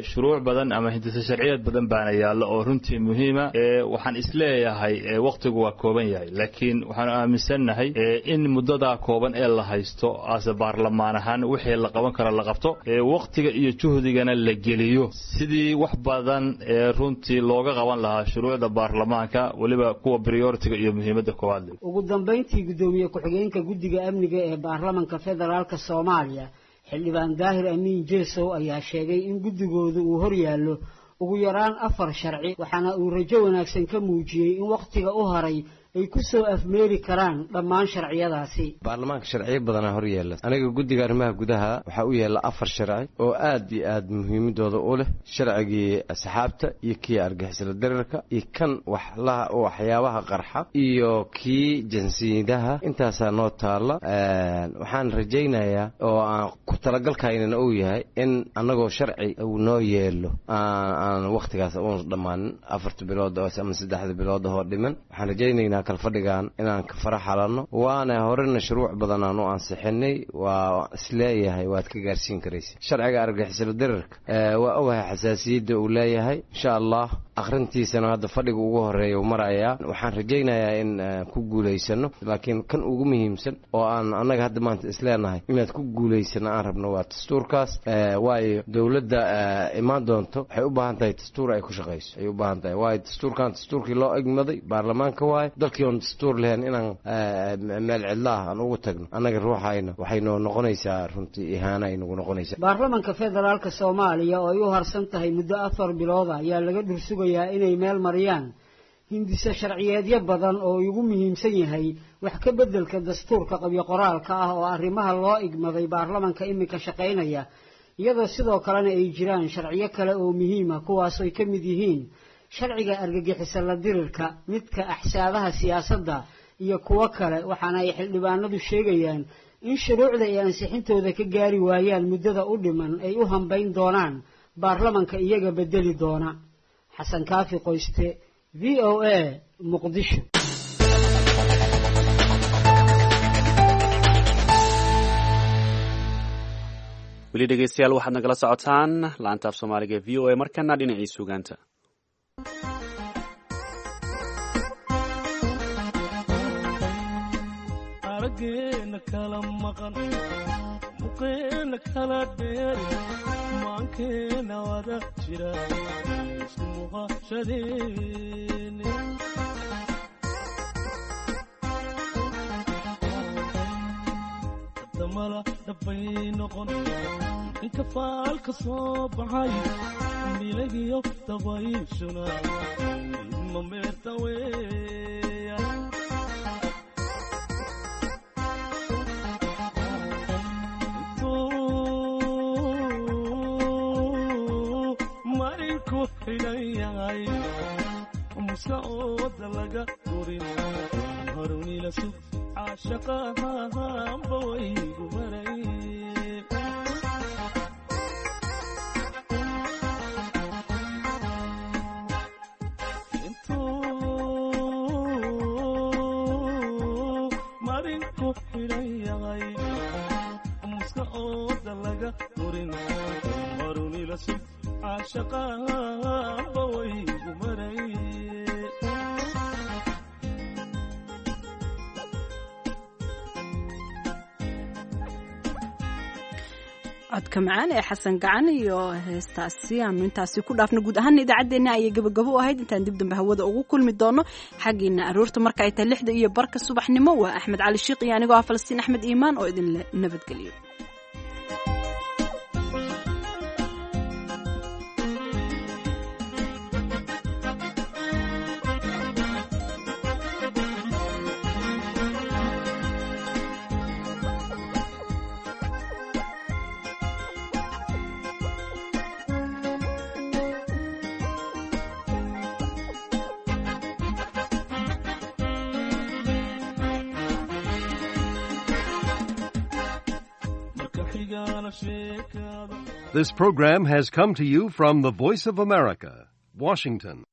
Shuruuc badan ama hindise sharciyeed badan baana yaalla oo runtii muhiima. Waxaan isleeyahay wakhtigu waa kooban yahay, laakiin waxaanu aaminsannahay in muddadaa kooban ee la haysto ase baarlamaan ahaan wixii la qaban karo la qabto, wakhtiga iyo juhdigana la geliyo sidii wax badan ee runtii looga qaban lahaa shuruucda baarlamaanka, weliba kuwa prioritiga iyo muhiimadda koowaad. Ugu dambayntii, gudoomiye ku-xigeenka guddiga amniga ee baarlamanka federaalka Soomaaliya xildhibaan Daahir Amiin Jeesow ayaa sheegay in guddigoodu uu horyaallo ugu yaraan 4 sharci, waxaana uu rajo wanaagsan ka muujiyey in wakhtiga u haray ay ku soo afmeeri karaan dhammaan sharciyadaasi. Baarlamaanka sharciyo badanaa hor yeela. Aniga guddiga arrimaha gudaha waxaa u yeela 4 sharci oo aad iyo aad muhiimadooda u leh: sharcigii asxaabta iyo kii argixisla darirka iyo kan waxlaha waxyaabaha qarxa iyo kii jinsiyadaha. Intaasaa noo taalla. Waxaan rajaynayaa oo aan ku talagalkaynana uu yahay in annagoo sharci uu noo yeelo aan wakhtigaas uun dhammaanin 4 bilood ama 3 bilood oo dhiman. Waxaan rajaynaynaa kalfadhigan inaan ka fara xalanno, waana horena shuruuc badan aan u ansixinay. Waa isleeyahay waad ka gaarsiin karaysa. Sharciga argixisla darirka waa ogahay xasaasiyadda uu leeyahay. Insha Allah akhrintiisana hadda fadhiga ugu horeeya uu marayaa. Waxaan rajaynayaa in ku guulaysano, laakiin kan ugu muhiimsan oo aan annaga hadda maanta isleenahay inaad ku guulaysano aan rabno waa dastuurkaas. Waayo dowladda imaan doonto waxay u baahan tahay dastuur ay ku shaqayso ay u baahan tahay. Waayo dastuurkan dastuurkii loo egmaday baarlamaanka waaye. Dalkii oon dastuur lahayn inaan meel cidlaah aan ugu tagno annaga ruuxayna waxay noo noqonaysaa runtii ihaana ay nagu noqonaysaa. Baarlamaanka federaalka Soomaaliya oo ay u harsan tahay muddo 4 bilood ayaa laga dhursugayaa inay meel mariyaan hindise sharciyeedyo badan oo ugu muhiimsan yahay wax ka beddelka dastuurka qabyo qoraalka ah oo arrimaha loo igmaday baarlamaanka iminka shaqaynaya, iyadoo sidoo kalena ay jiraan sharciyo kale oo muhiim ah kuwaas ay ka mid yihiin sharciga argagixisa la dirirka, midka axsaabaha siyaasadda iyo kuwo kale. Waxaana ay xildhibaanadu sheegayaan in shuruucda ay ansixintooda ka gaari waayaan muddada u dhiman ay u hambayn doonaan baarlamanka iyaga bedeli doona. Xasan Kaafi Qoyste, VOA, Muqdisho. Weli dhegeystayaal, waxaad nagala socotaan laanta af Soomaaliga e VOA. Markana dhinacii suugaanta. Arageena kala maqan, muqeena kala dheeri, maankeena wada jira, isku muqashadeeni. Damala dhabbay noqon inka faalka soo baxay, milagiyo dabayshuna ma meerta weya. Intuu marinku xidhan yahay muska ooda laga gurin harunila sug caashaqahanba waygu baray. Intuu marinku xidhan yahay muska ooda laga gurin harunila sug caashaqahanba waygu maray. Codka macaan ee Xasan Gacan iyo heestaasi aanu intaasi ku dhaafno. Guud ahaana idaacaddeenna ayay gabagabo u ahayd. Intaan dib dambe hawada ugu kulmi doono xaggiina aroorta marka ay tahay 6:15 subaxnimo, waa Axmed Cali Shiiq iyo anigoo ah Falastiin Axmed Iimaan oo idinle nabadgeliyo. This program has come to you from the Voice of America, Washington.